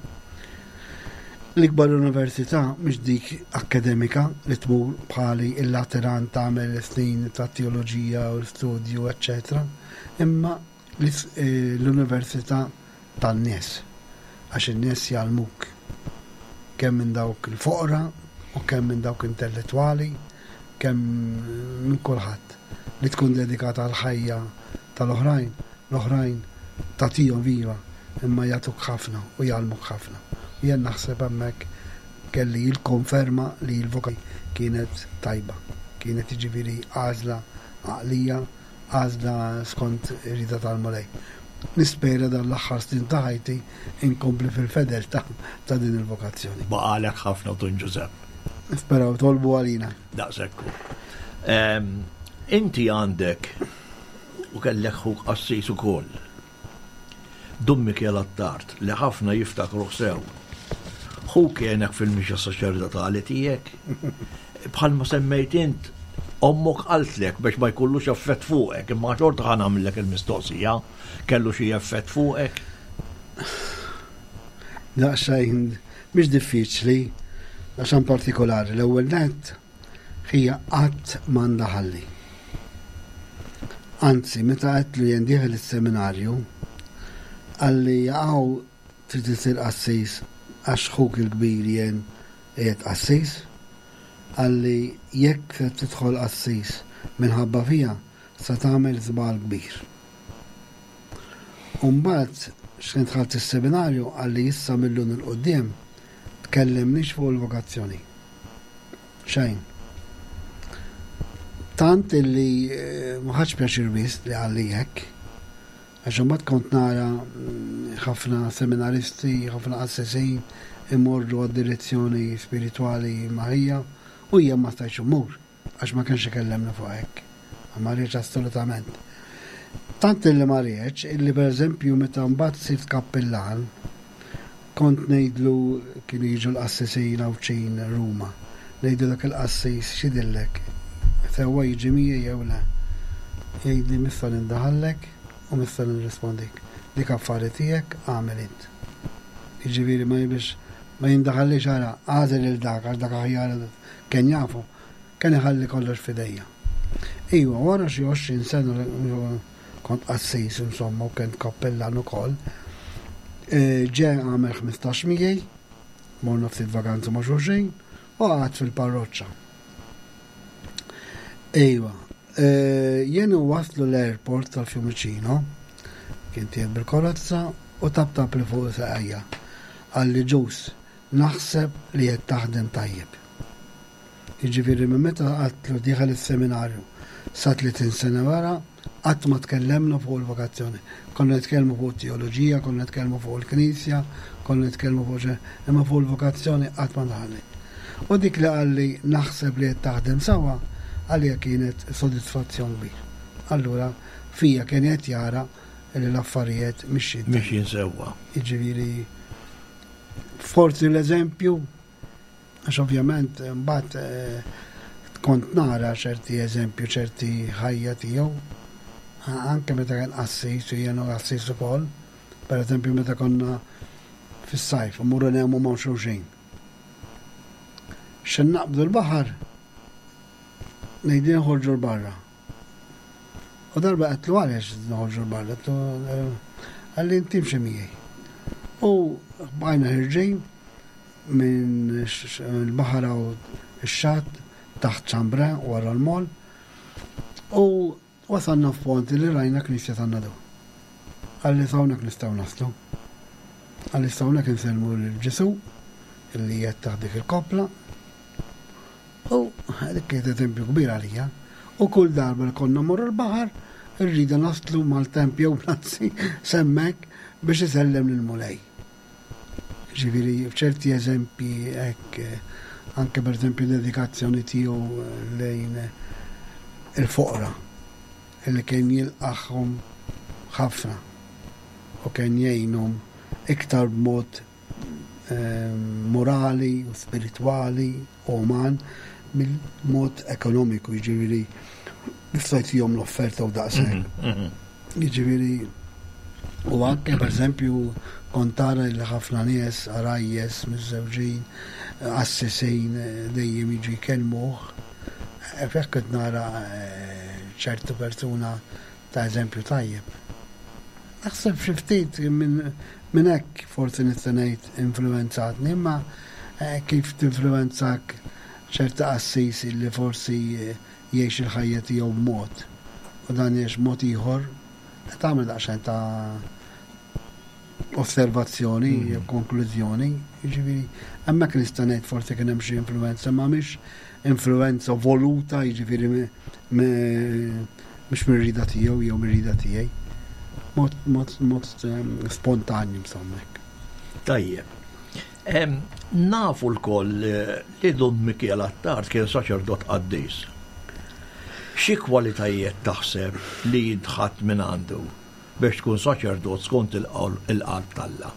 L-ikbar università mhix dik akkademika li tmur bħali il-Lateran tagħmel snin ta' teoloġija u l-studju, eċċetera, imma eh, l-università tan-nies. Għax in-nies jgħallmuk kemm minn dawk il-foqra, U kemm minn dawk intellettwali, kemm minn kulħadd li tkun dedikata għall-ħajja tal-oħrajn, l-oħrajn tagħtihom iva, imma jagħtuk ħafna u jgħallmuk ħafna. U jien naħseb hemmhekk kelli l-konferma li l-vokazzjoni kienet tajba, kienet jiġifieri għażla għaqlija, għażla skont ir-rieda tal-Mulej. Nispera dan l-aħħar snin ta' ħajti inkompli fil-fedeltà ta' din il-vokazzjoni. Baqalek ħafna Dun Ġużepp. Nisperaw tolbu għalina. Daqshekk hu. Ehm, inti għandek u kellek ħuk qassis ukoll. Dun Mikiel Attard li ħafna jiftakruh sew. Hu kienek fil-mixja saċerdotali tiegħek. Bħalma semmejt int, ommok qaltlek biex ma jkollux effett fuqek, imma xorta ħa nagħmillek il-mistoqsija, kellu xi effett fuqek? Daqsxejn mhix diffiċli, għax partikolari l-ewwel nett Ħija qatt ma ndaħalli. Anzi, meta għedtlu jien dieħel is-seminarju, qalli jaqaw trid isir qassis għax ħuk il-kbir jien qiegħed qassis? Qalli jekk se tidħol qassis minħabba fija se tagħmel żball kbir. U mbagħad x'ħin dħalt is-seminarju qalli issa mil-lum 'il quddiem tkellimnix fuq il-vokazzjoni. Xejn. Tant illi eh, ma ħadx pjaċir wisq li qalli hekk. Għax imbagħad kont nara mm, ħafna seminaristi, ħafna qassisin imorru għad-direzzjoni spiritwali ma' ħija u jien ma stajtx immur għax ma kienx ikellemni fuq hekk. Ma rridx assolutament. Tant illi ma rridx illi pereżempju meta mbagħad sirt kappillan Kont ngħidlu, kienu jiġu l-qassisin Għawdxin Ruma, ngħidlu dak il-qassis x'jidhirlek, sewwa jiġi miegħi jew le? Jgħidli missa nindaħallek u missa nirrispondik. Dik affari tiegħek agħmel int. Jiġifieri ma biex ma jindaħallix ara agħżel lil dak għax dak aħjar kien jafu, kien iħalli kollox f'idejja. Iva, wara xi 20 sena kont qassis insomma u kent kappellan ukoll. E, ġe għamel 15 miegħi, morna ftit vaganza ma' xulxin u qgħad fil-parroċċa. Ejwa, e, jien waslu l-airport tal-Fiumicino, kien tiegħek bil-karozza u tabtab li fuq saqajja. Qalli ġus, naħseb li qed taħdem tajjeb. Jiġifieri minn meta għadtlu dieħel is-seminarju sa 30 sena wara, qatt ma tkellemna fuq il-vokazzjoni. Konna nitkellmu fuq it-teoloġija, konna nitkellmu fuq il-Knisja, konna nitkellmu fuq xi, imma fuq il-vokazzjoni qatt ma daħalni. U dik li qalli naħseb li qed taħdem sewwa, għalija kienet sodisfazzjon kbir. Allura fija kien qed jara li l-affarijiet mixjin. Mixjin sewwa. Jiġifieri forsi l-eżempju Għax ovvjament mbagħad eh, kont nara ċerti eżempju, ċerti ħajja tiegħu, anke meta kien qassis u jiena qassis ukoll, per eżempju meta konna fis-sajf, mmorru nagħmu ma' xulxin. X'in naqbdu l-baħar, ngħidli nħorġu l-barra. U darba għedtlu għaliex noħorġu l-barra, għedtlu eh, għalli inti mxi miegħi. U bqajna ħirġin minn il-baħar u x-xatt taħt ċambra wara l-mol u wasalna f'pont li rajna knisja tan-Nadur. Qalli s'hawnhekk nistgħu naslu. Qalli s'hawnhekk insellmu lil Ġesù li qed taħt dik il-koppla. U dik kienet eżempju kbir għalija. U kull darba li konna mmorru l-baħar, irrida naslu mal-temp jew bnazzi s'hemmhekk biex isellem lill-Mulej. Ġifieri f'ċerti eżempji hekk anke pereżempju dedikazzjoni tiegħu lejn il-foqra li kien jilqagħhom ħafna u kien jgħinhom iktar b'mod ehm, morali u spiritwali u uman mill-mod ekonomiku, jiġifieri nista' jtihom l-offerta u daqshekk. Mhm, mhm. Jiġifieri u anke pereżempju kont tara li ħafna nies għarajjes miżżewġin, qassisin dejjem jiġu jkellmuh. Fih kont nara eh, ċertu persuna ta' eżempju tajjeb. Naħseb xi ftit minn hekk forsi nista' ngħid influwenzatni, imma eh, kif tinfluwenzak. ċerta qassis li forsi jgħix il-ħajja tiegħu b'mod u dan jgħix mod ieħor, tagħmel daqsxejn ta' osservazzjoni mm. jew konklużjoni, jiġifieri hemmhekk nista' ngħid forsi kien hemm xi influenza, ma mhix influenza voluta, jiġifieri mhux mir-rida tiegħu jew mir-rida tiegħi. Mod mod mod ehm, spontanju insomma hekk. Tajjeb. Nafu lkoll eh, li Dun Mikiel Attard kien saċerdot qaddis. Xi kwalitajiet taħseb li jintħadd minn għandu biex tkun saċerdot skont il-qalb t'Alla?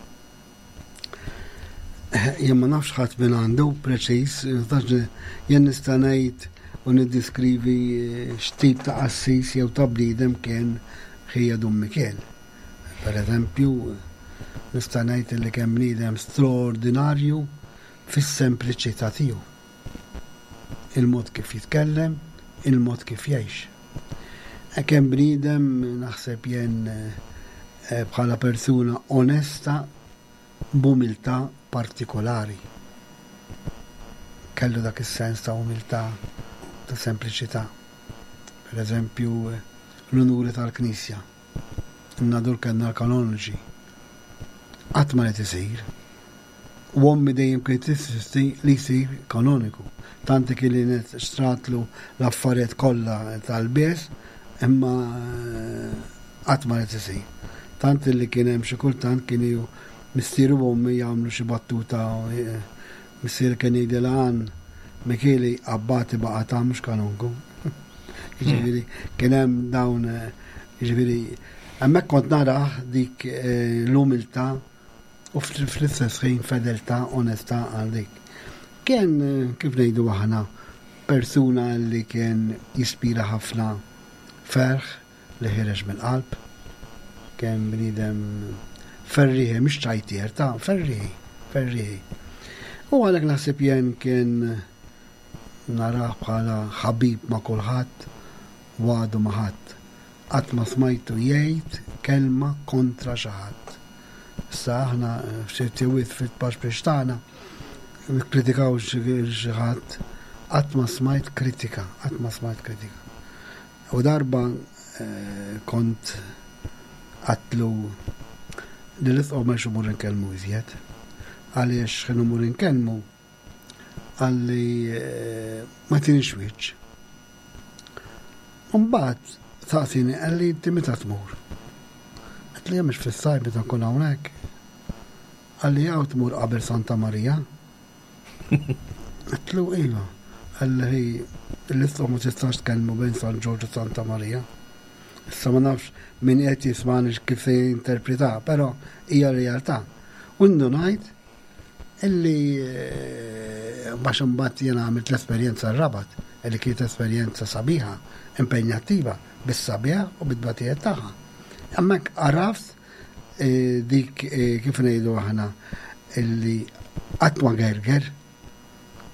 Jien ma nafx ħadd minn għandu preċiż, jien nista' ngħid u niddiskrivi eh, x'tip ta' qassis jew ta' bniedem kien ħija Dun Mikiel. Per eżempju, nista' ngħid li kien bniedem straordinarju fis-sempliċità tiegħu. Il-mod kif jitkellem, il-mod kif jgħix. E kien bniedem naħseb jien eh, bħala persuna onesta b'umiltà partikolari. Kellu dak is-sens ta' umiltà, ta' sempliċità. Per eżempju, l-unuri tal-Knisja. In-Nadur kellna l-kanoniċi. Qatt ma ried isir. U ommi dejjem kienet tinsisti li jsir kanoniku. Tant li kienet xtratlu l-affarijiet kollha tal-lbies, imma qatt ma ried isir. Tant li kien hemm xi kultant kien missieri u ommi jagħmlu xi battuta missieri kien jgħidilha għan Mikieli abbati baqa' ta' mhux kanonku. Jiġifieri kien hemm dawn jiġifieri hemmhekk kont narah dik eh, l-umiltà u fl-istess ħin fedeltà, onestà għal dik. Kien eh, kif ngħidu aħna persuna li kien jispira ħafna ferħ li ħireġ mill-qalb, kien bniedem ferriħi, mhux ċajtier, ta' ferriħi, ferriħi. U għalhekk naħseb jien kien Narah bħala ħabib ma' kulħadd u għadu ma' ħadd. Qatt ma smajtu jgħid kelma kontra xi ħadd. Issa aħna f'ċerti wisq fit-tpaxpix tagħna nikkritikaw xi ħadd, qatt ma smajt kritika, qatt ma smajt kritika. U darba eh, kont għatlu li l-isqof ma imur inkellmu iżjed. Għaliex x'ħin imur inkellmu Qalli ma tinix wiċċ. Mbagħad saqsini qalli inti meta tmur? Għedtlu jien mhux fis-sajf meta nkun hawnhekk. Qalli hawn tmur qabel Santa Marija. Għedtlu iva. Qalli hi l-isqof ma tistax tkellmu bejn San Ġorġ u Santa Marija. Issa ma nafx min qed jismani kif se jinterpreta, però hija realtà. U ndunajt Illi għax imbagħad jiena għamilt l-esperjenza r-Rabat, illi kienet esperjenza sabiħa, impenjattiva, bis-sabiħ u bit-tbatijiet tagħha. Hemmhekk għaraft eh, dik eh, kif ngħidu aħna illi qatt ma gerger,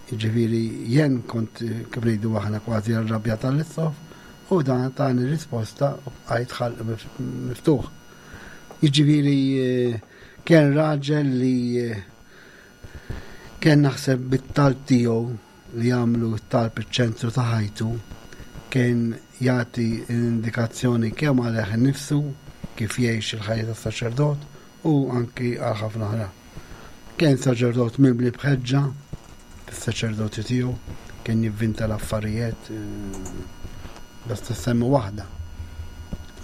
ġifieri jien kont eh, kif ngħidu aħna kważi arrabja tal-issof u dan tani risposta u bqajt ħalq miftuħ. Jiġifieri Kien raġel li kien naħseb bit-talb tiegħu li jagħmlu t-talb iċ-ċentru ta' ħajtu kien jagħti indikazzjoni kemm għalih innifsu kif jgħix il-ħajja ta' saċerdot u anki għal ħafna oħra. Kien saċerdot mimli b'ħeġġa fis-saċerdoti tiegħu, kien jivvinta l-affarijiet eh, basta semmi waħda.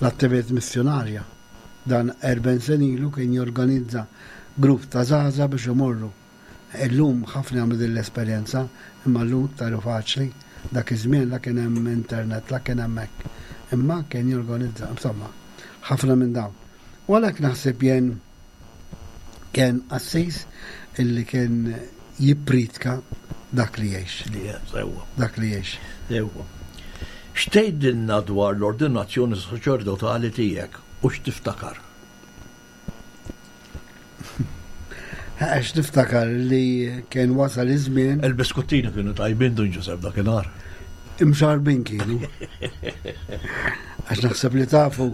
L-attività missjonarja Dan 40 sena ilu kien jorganizza grupp ta' żgħażagħ biex imorru. Illum ħafna jagħmlu din l-esperjenza, imma llum iktar hu faċli. Dak iż-żmien la kien hemm internet, la kien hemm hekk. Imma kien jorganizza, insomma, ħafna minn dawn. U għalhekk naħseb jien kien qassis illi kien jippriedka dak li jgħix. Sewwa. Dak li jgħix. Sewwa. X'tgħidilna dwar l-ordinazzjoni saċerdotali tiegħek u x'tiftakar? Għax niftakar li kien wasal iż-żmien. Il-biskuttini kienu tajbin Dun Ġusepp dakinhar. Imxarbin kienu. Għax naħseb li tafu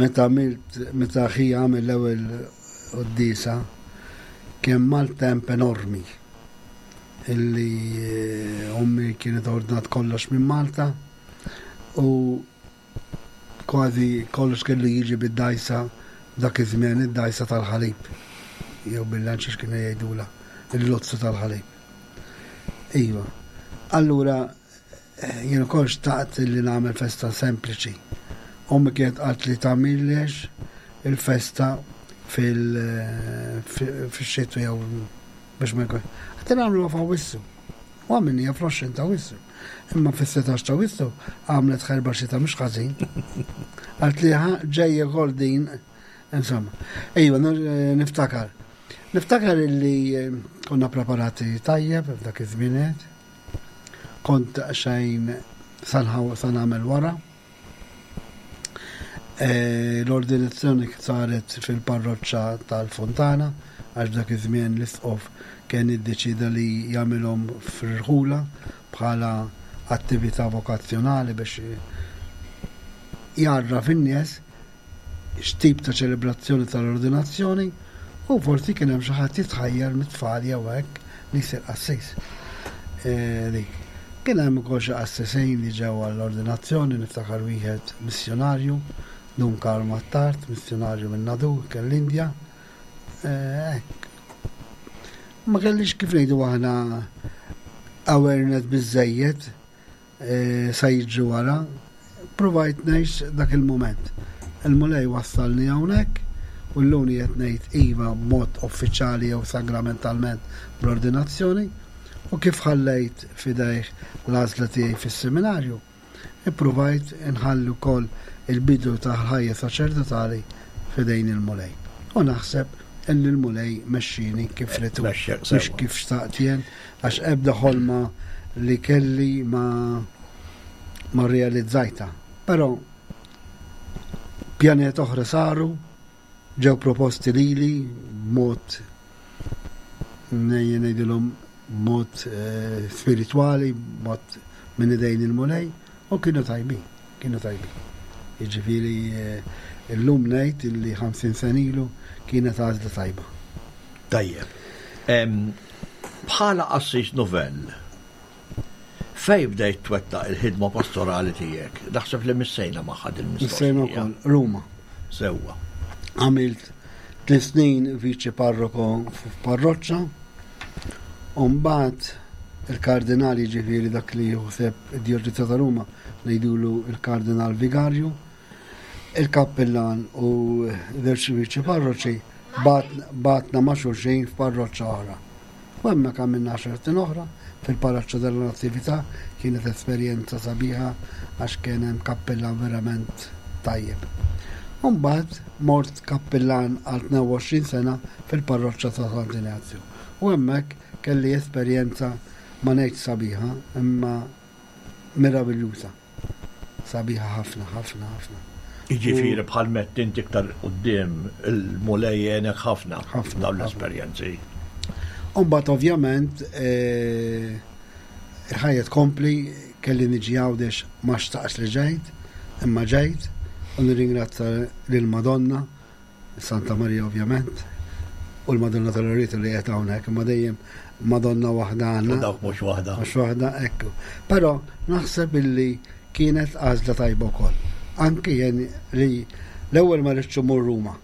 meta għamilt meta ħi għamel l-ewwel quddiesa kien maltemp enormi. illi eh, ommi kienet ordnat kollox minn Malta u kważi kollox kellu jiġi bid-dajsa dak iż-żmien id-dajsa tal-ħalib jew bil-lanċ kienu jgħidula il-lozzu tal-ħalib. Iva. Allura eh, jien ukoll xtaqt li nagħmel festa sempliċi. Ommi kienet qalt li tagħmillex il-festa fil-xitwa jew biex ma jkun. Għati nagħmlu f'Awwissu. U għamilniha fl-20 ta' Wissu. Imma fis-16 ta' Wissu għamlet ħerba xita mhux ħażin. Għalt li ġejja kol din, insomma. Ejwa, eh, niftakar. Niftakar illi eh, konna preparati tajjeb f'dak iż-żmienet. Kont xejn sanħaw sanamel wara. Eh, l-ordinazzjoni saret fil-parroċċa tal-Fontana għax dak iż-żmien l-isqof kien iddeċida li jagħmilhom fir-rħula bħala attività vokazzjonali biex jgħarraf in-nies x'tip ta' ċelebrazzjoni tal-ordinazzjoni u forsi kien hemm xi ħadd jitħajjar mit-tfal jew hekk li jsir qassis. E, dik. Kien hemm ukoll xi qassisin li ġew għall-ordinazzjoni, niftakar wieħed missjonarju, Dun Karl Attard, missjonarju minn Nadur, kien l-Indja. E, hekk. Ma kellix kif ngħidu aħna awareness biżejjed sa jiġri wara, provajt ngħix dak il-mument. Il-Mulej wassalni hawnhekk u llum qiegħed ngħid iva b'mod uffiċjali jew sagramentalment bl-ordinazzjoni u kif ħallejt f'idejh l-għażla tiegħi fis-seminarju, ippruvajt inħalli wkoll il-bidu tal-ħajja saċerdotali f'idejn il-Mulej. U naħseb illi l-Mulej mexxieni kif ried hu, mhux kif xtaqt jien, Għax ebda ħolma li kelli ma ma rrealizzajtha. Però pjanijiet oħra saru, ġew proposti lili b'mod ngħidilhom b'mod eh, spiritwali, b'mod minn idejn il-Mulej, u kienu tajbin, kienu tajbin. Jiġifieri eh, illum ngħid illi 50 sena ilu kienet għażla tajba. Tajjeb. Bħala qassis novell, fejn bdejt twettaq il-ħidma pastorali tiegħek? Naħseb li missejna magħha din mistoqsija. Missejna wkoll, Ruma. Sewwa. Għamilt tliet snin viċi parroko f'parroċċa, u mbagħad il-kardinal jiġifieri dak li juħseb id-djoċesi ta' Ruma ngħidulu il-kardinal vigarju, Il-kappillan u żewġ viċi parroċi bagħatna ma' xulxin f'parroċċa oħra. U hemmhekk għamilna għaxar snin oħra fil-Palazzo della Natività, kienet esperjenza sabiħa għax kien hemm kappillan verament tajjeb. U mbagħad mort kappillan għal 22 sena fil-parroċċa ta' Sant'Injazju. U hemmhekk kelli esperjenza ma ngħidx sabiħa imma meraviljuża. Sabiħa ħafna, ħafna, ħafna. Jiġifieri bħal mett inti iktar quddiem il-Mulej għenek ħafna ħafna dawn l-esperjenzi. U mbagħad ovvjament eh, il-ħajja tkompli kelli niġi Għawdex ma xtaqx li ġejt, imma ġejt u nirringrazzja lil Madonna Santa Marija ovvjament, u l-Madonna tal-Loreto li qed hawnhekk, imma dejjem Madonna waħda għandna. U dawk mhux waħda. Mhux waħda, ekku. Però naħseb illi kienet għażla tajba wkoll. Anki jien li l-ewwel ma rridx imur Ruma.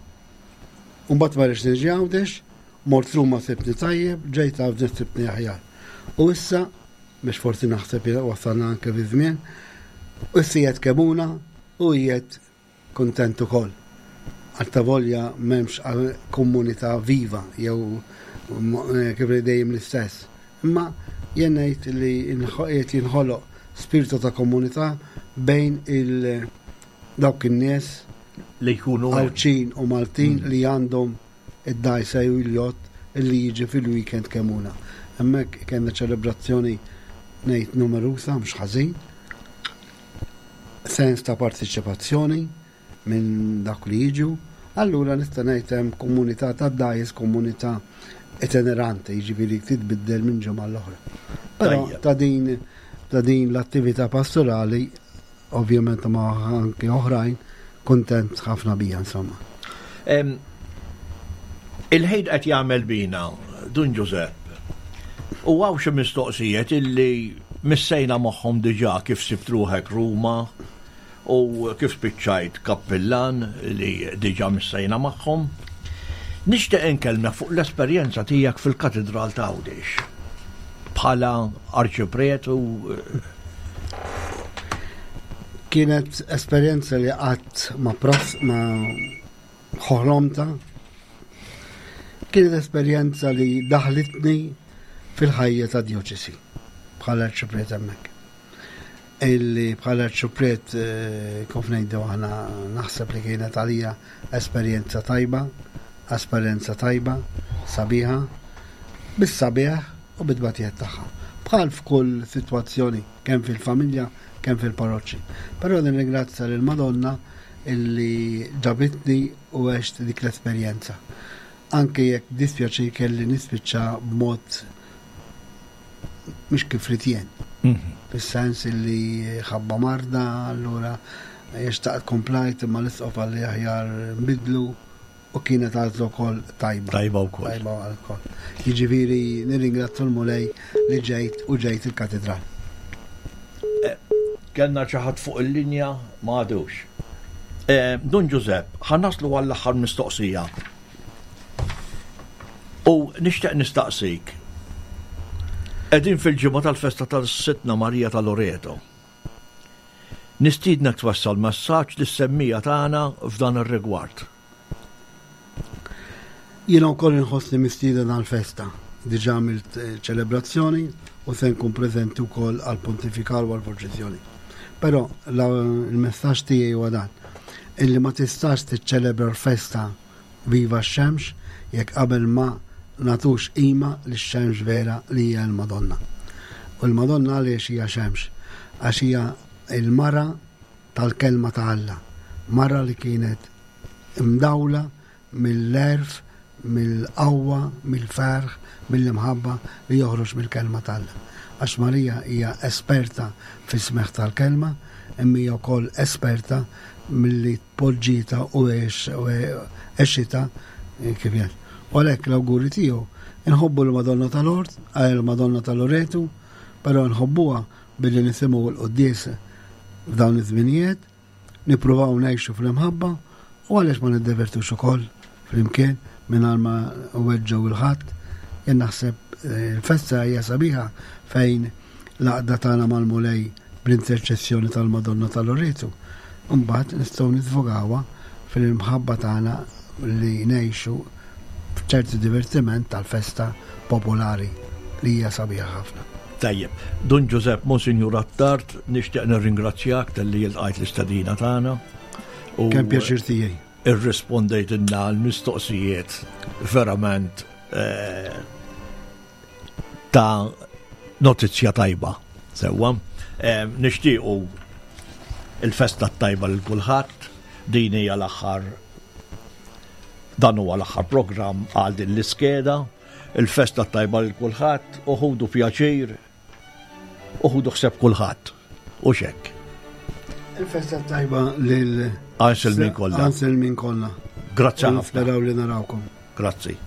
Mbagħad ma rridx niġi Għawdex, mort Ruma sibni tajjeb, ġejt Għawdex sibni aħjar. U issa, biex forsi naħseb wasalna anke fi żmien, issa qiegħed Kemuna u qiegħed Kuntent ukoll. Attavolja m'hemmx komunità viva jew kif ngħid dejjem l-istess. Imma jien ngħid li qiegħed jinħoloq spirtu ta' komunità bejn il dawk in-nies li jkunu Għawdxin u Maltin li għandhom id-dgħajsa jew il-jott li jiġi fil-weekend Kemuna. Hemmhekk kellna ċelebrazzjoni ngħid numerusa mhux ħażin. sens ta' partiċipazzjoni minn dak li jiġu, allura nista' ngħid hemm komunità ta' dgħajjes, komunità itineranti, jiġifieri titbiddel minn ġimgħa l-oħra. Però ta' din ta' din l-attività pastorali, ovvjament ma' anke oħrajn, kuntent ħafna bija insomma. Il-ħin qed jagħmel bina, Dun Ġużepp. U hawn xi mistoqsijiet illi missejna magħhom diġà kif sibt ruħek Ruma u kif spiċċajt kappillan li diġà missejna magħhom. Nixtieq inkellmek fuq l-esperjenza tiegħek fil-Katidral ta' Għawdex bħala arċipriet u Kienet esperjenza li qatt ma pros ma ħolomta. Kienet esperjenza li daħlitni fil-ħajja ta' djoċesi bħala arċipriet hemmhekk. Illi bħala arċipriet eh, kif ngħidu aħna naħseb li kienet għalija esperjenza tajba, esperjenza tajba, sabiħa, bis-sabiħ u bit-tbatijiet tagħha. Bħal f'kull sitwazzjoni, kemm fil-familja, kemm fil-parroċċi. Però nirringrazzja lil Madonna illi ġabitni u għext dik l-esperjenza. Anke jekk dispjaċir kelli nispiċċa b'mod mhux kif ridt jien. Mhm. Fis-sens illi ħabba marda, allura xtaqt komplajt imma l-isqof għalli aħjar nbidlu u kienet għażla wkoll tajba. Tajba wkoll. Tajba wkoll. Jiġifieri nirringrazzju l-Mulej li ġejt u ġejt il-katedral. Eh, kellna xi ħadd fuq il-linja ma għadux. Eh, Dun Ġużepp, ħa naslu għall-aħħar mistoqsija. U nixtieq nistaqsik. Qegħdin fil-ġimgħa tal-festa tal-Sitna Marija ta' Loreto. Nistiednek twassal messaġġ lis-semmija tagħna f'dan ir-rigward. Jiena wkoll inħossni mistieden għall-festa. Diġà għamilt eh, ċelebrazzjoni u se nkun preżenti wkoll għall-pontifikal u għall-purċissjoni. Però il-messaġġ tiegħi huwa dan, illi ma tistax tiċċelebra l-festa Viva x-xemx jekk qabel ma nagħtux qima lix-xemx vera li hija l-Madonna. U l-Madonna għaliex hija xemx? Għax hija l-mara tal-Kelma ta' Alla, mara li kienet imdawla mill-għerf, mill-qawwa, mill-ferħ, mill-imħabba li joħroġ mill-Kelma ta' Alla. Għax Marija hija esperta fis-smigħ tal-Kelma, imma hija wkoll esperta milli poġġietha u għexitha kif jgħid. U għalhekk l-awguri tiegħu inħobbu l-Madonna tal-Ort, il-Madonna tal-Loretu, però nħobbuha billi nisimgħu l-quddies f'dawn iż-żminijiet, nippruvaw ngħixu fl-imħabba u għaliex ma niddevertux ukoll flimkien mingħajr ma weġġgħu il-ħadd. Jien naħseb eh, il-festa hija sabiħa fejn l-għaqda tagħna mal-Mulej bl-interċessjoni tal-Madonna ta' Loretu. Imbagħad nistgħu nisvogawha fil-imħabba tagħna li ngħixu f'ċerti divertiment tal-festa popolari li hija sabiħa ħafna. Tajjeb, Dun Ġużepp Monsinjur Attard, nixtieq nirringrazzjak talli lqajt l-istedina tagħna. Kemm pjaċir tiegħi. Irrispondejtilna l-mistoqsijiet verament eh, ta' notizja tajba. Sewwa, eh, nixtiequ il-festa tajba lil kulħadd, din hija l-aħħar dan huwa l-aħħar programm għal din l-iskeda, il-festa tajba lil kulħadd u ħudu pjaċir u ħudu ħseb kulħadd. U xekk. Il-festa tajba lil Anselmin kollha. Anselmin kollha. Grazzi ħafna. Naraw li narawkom. Grazzi.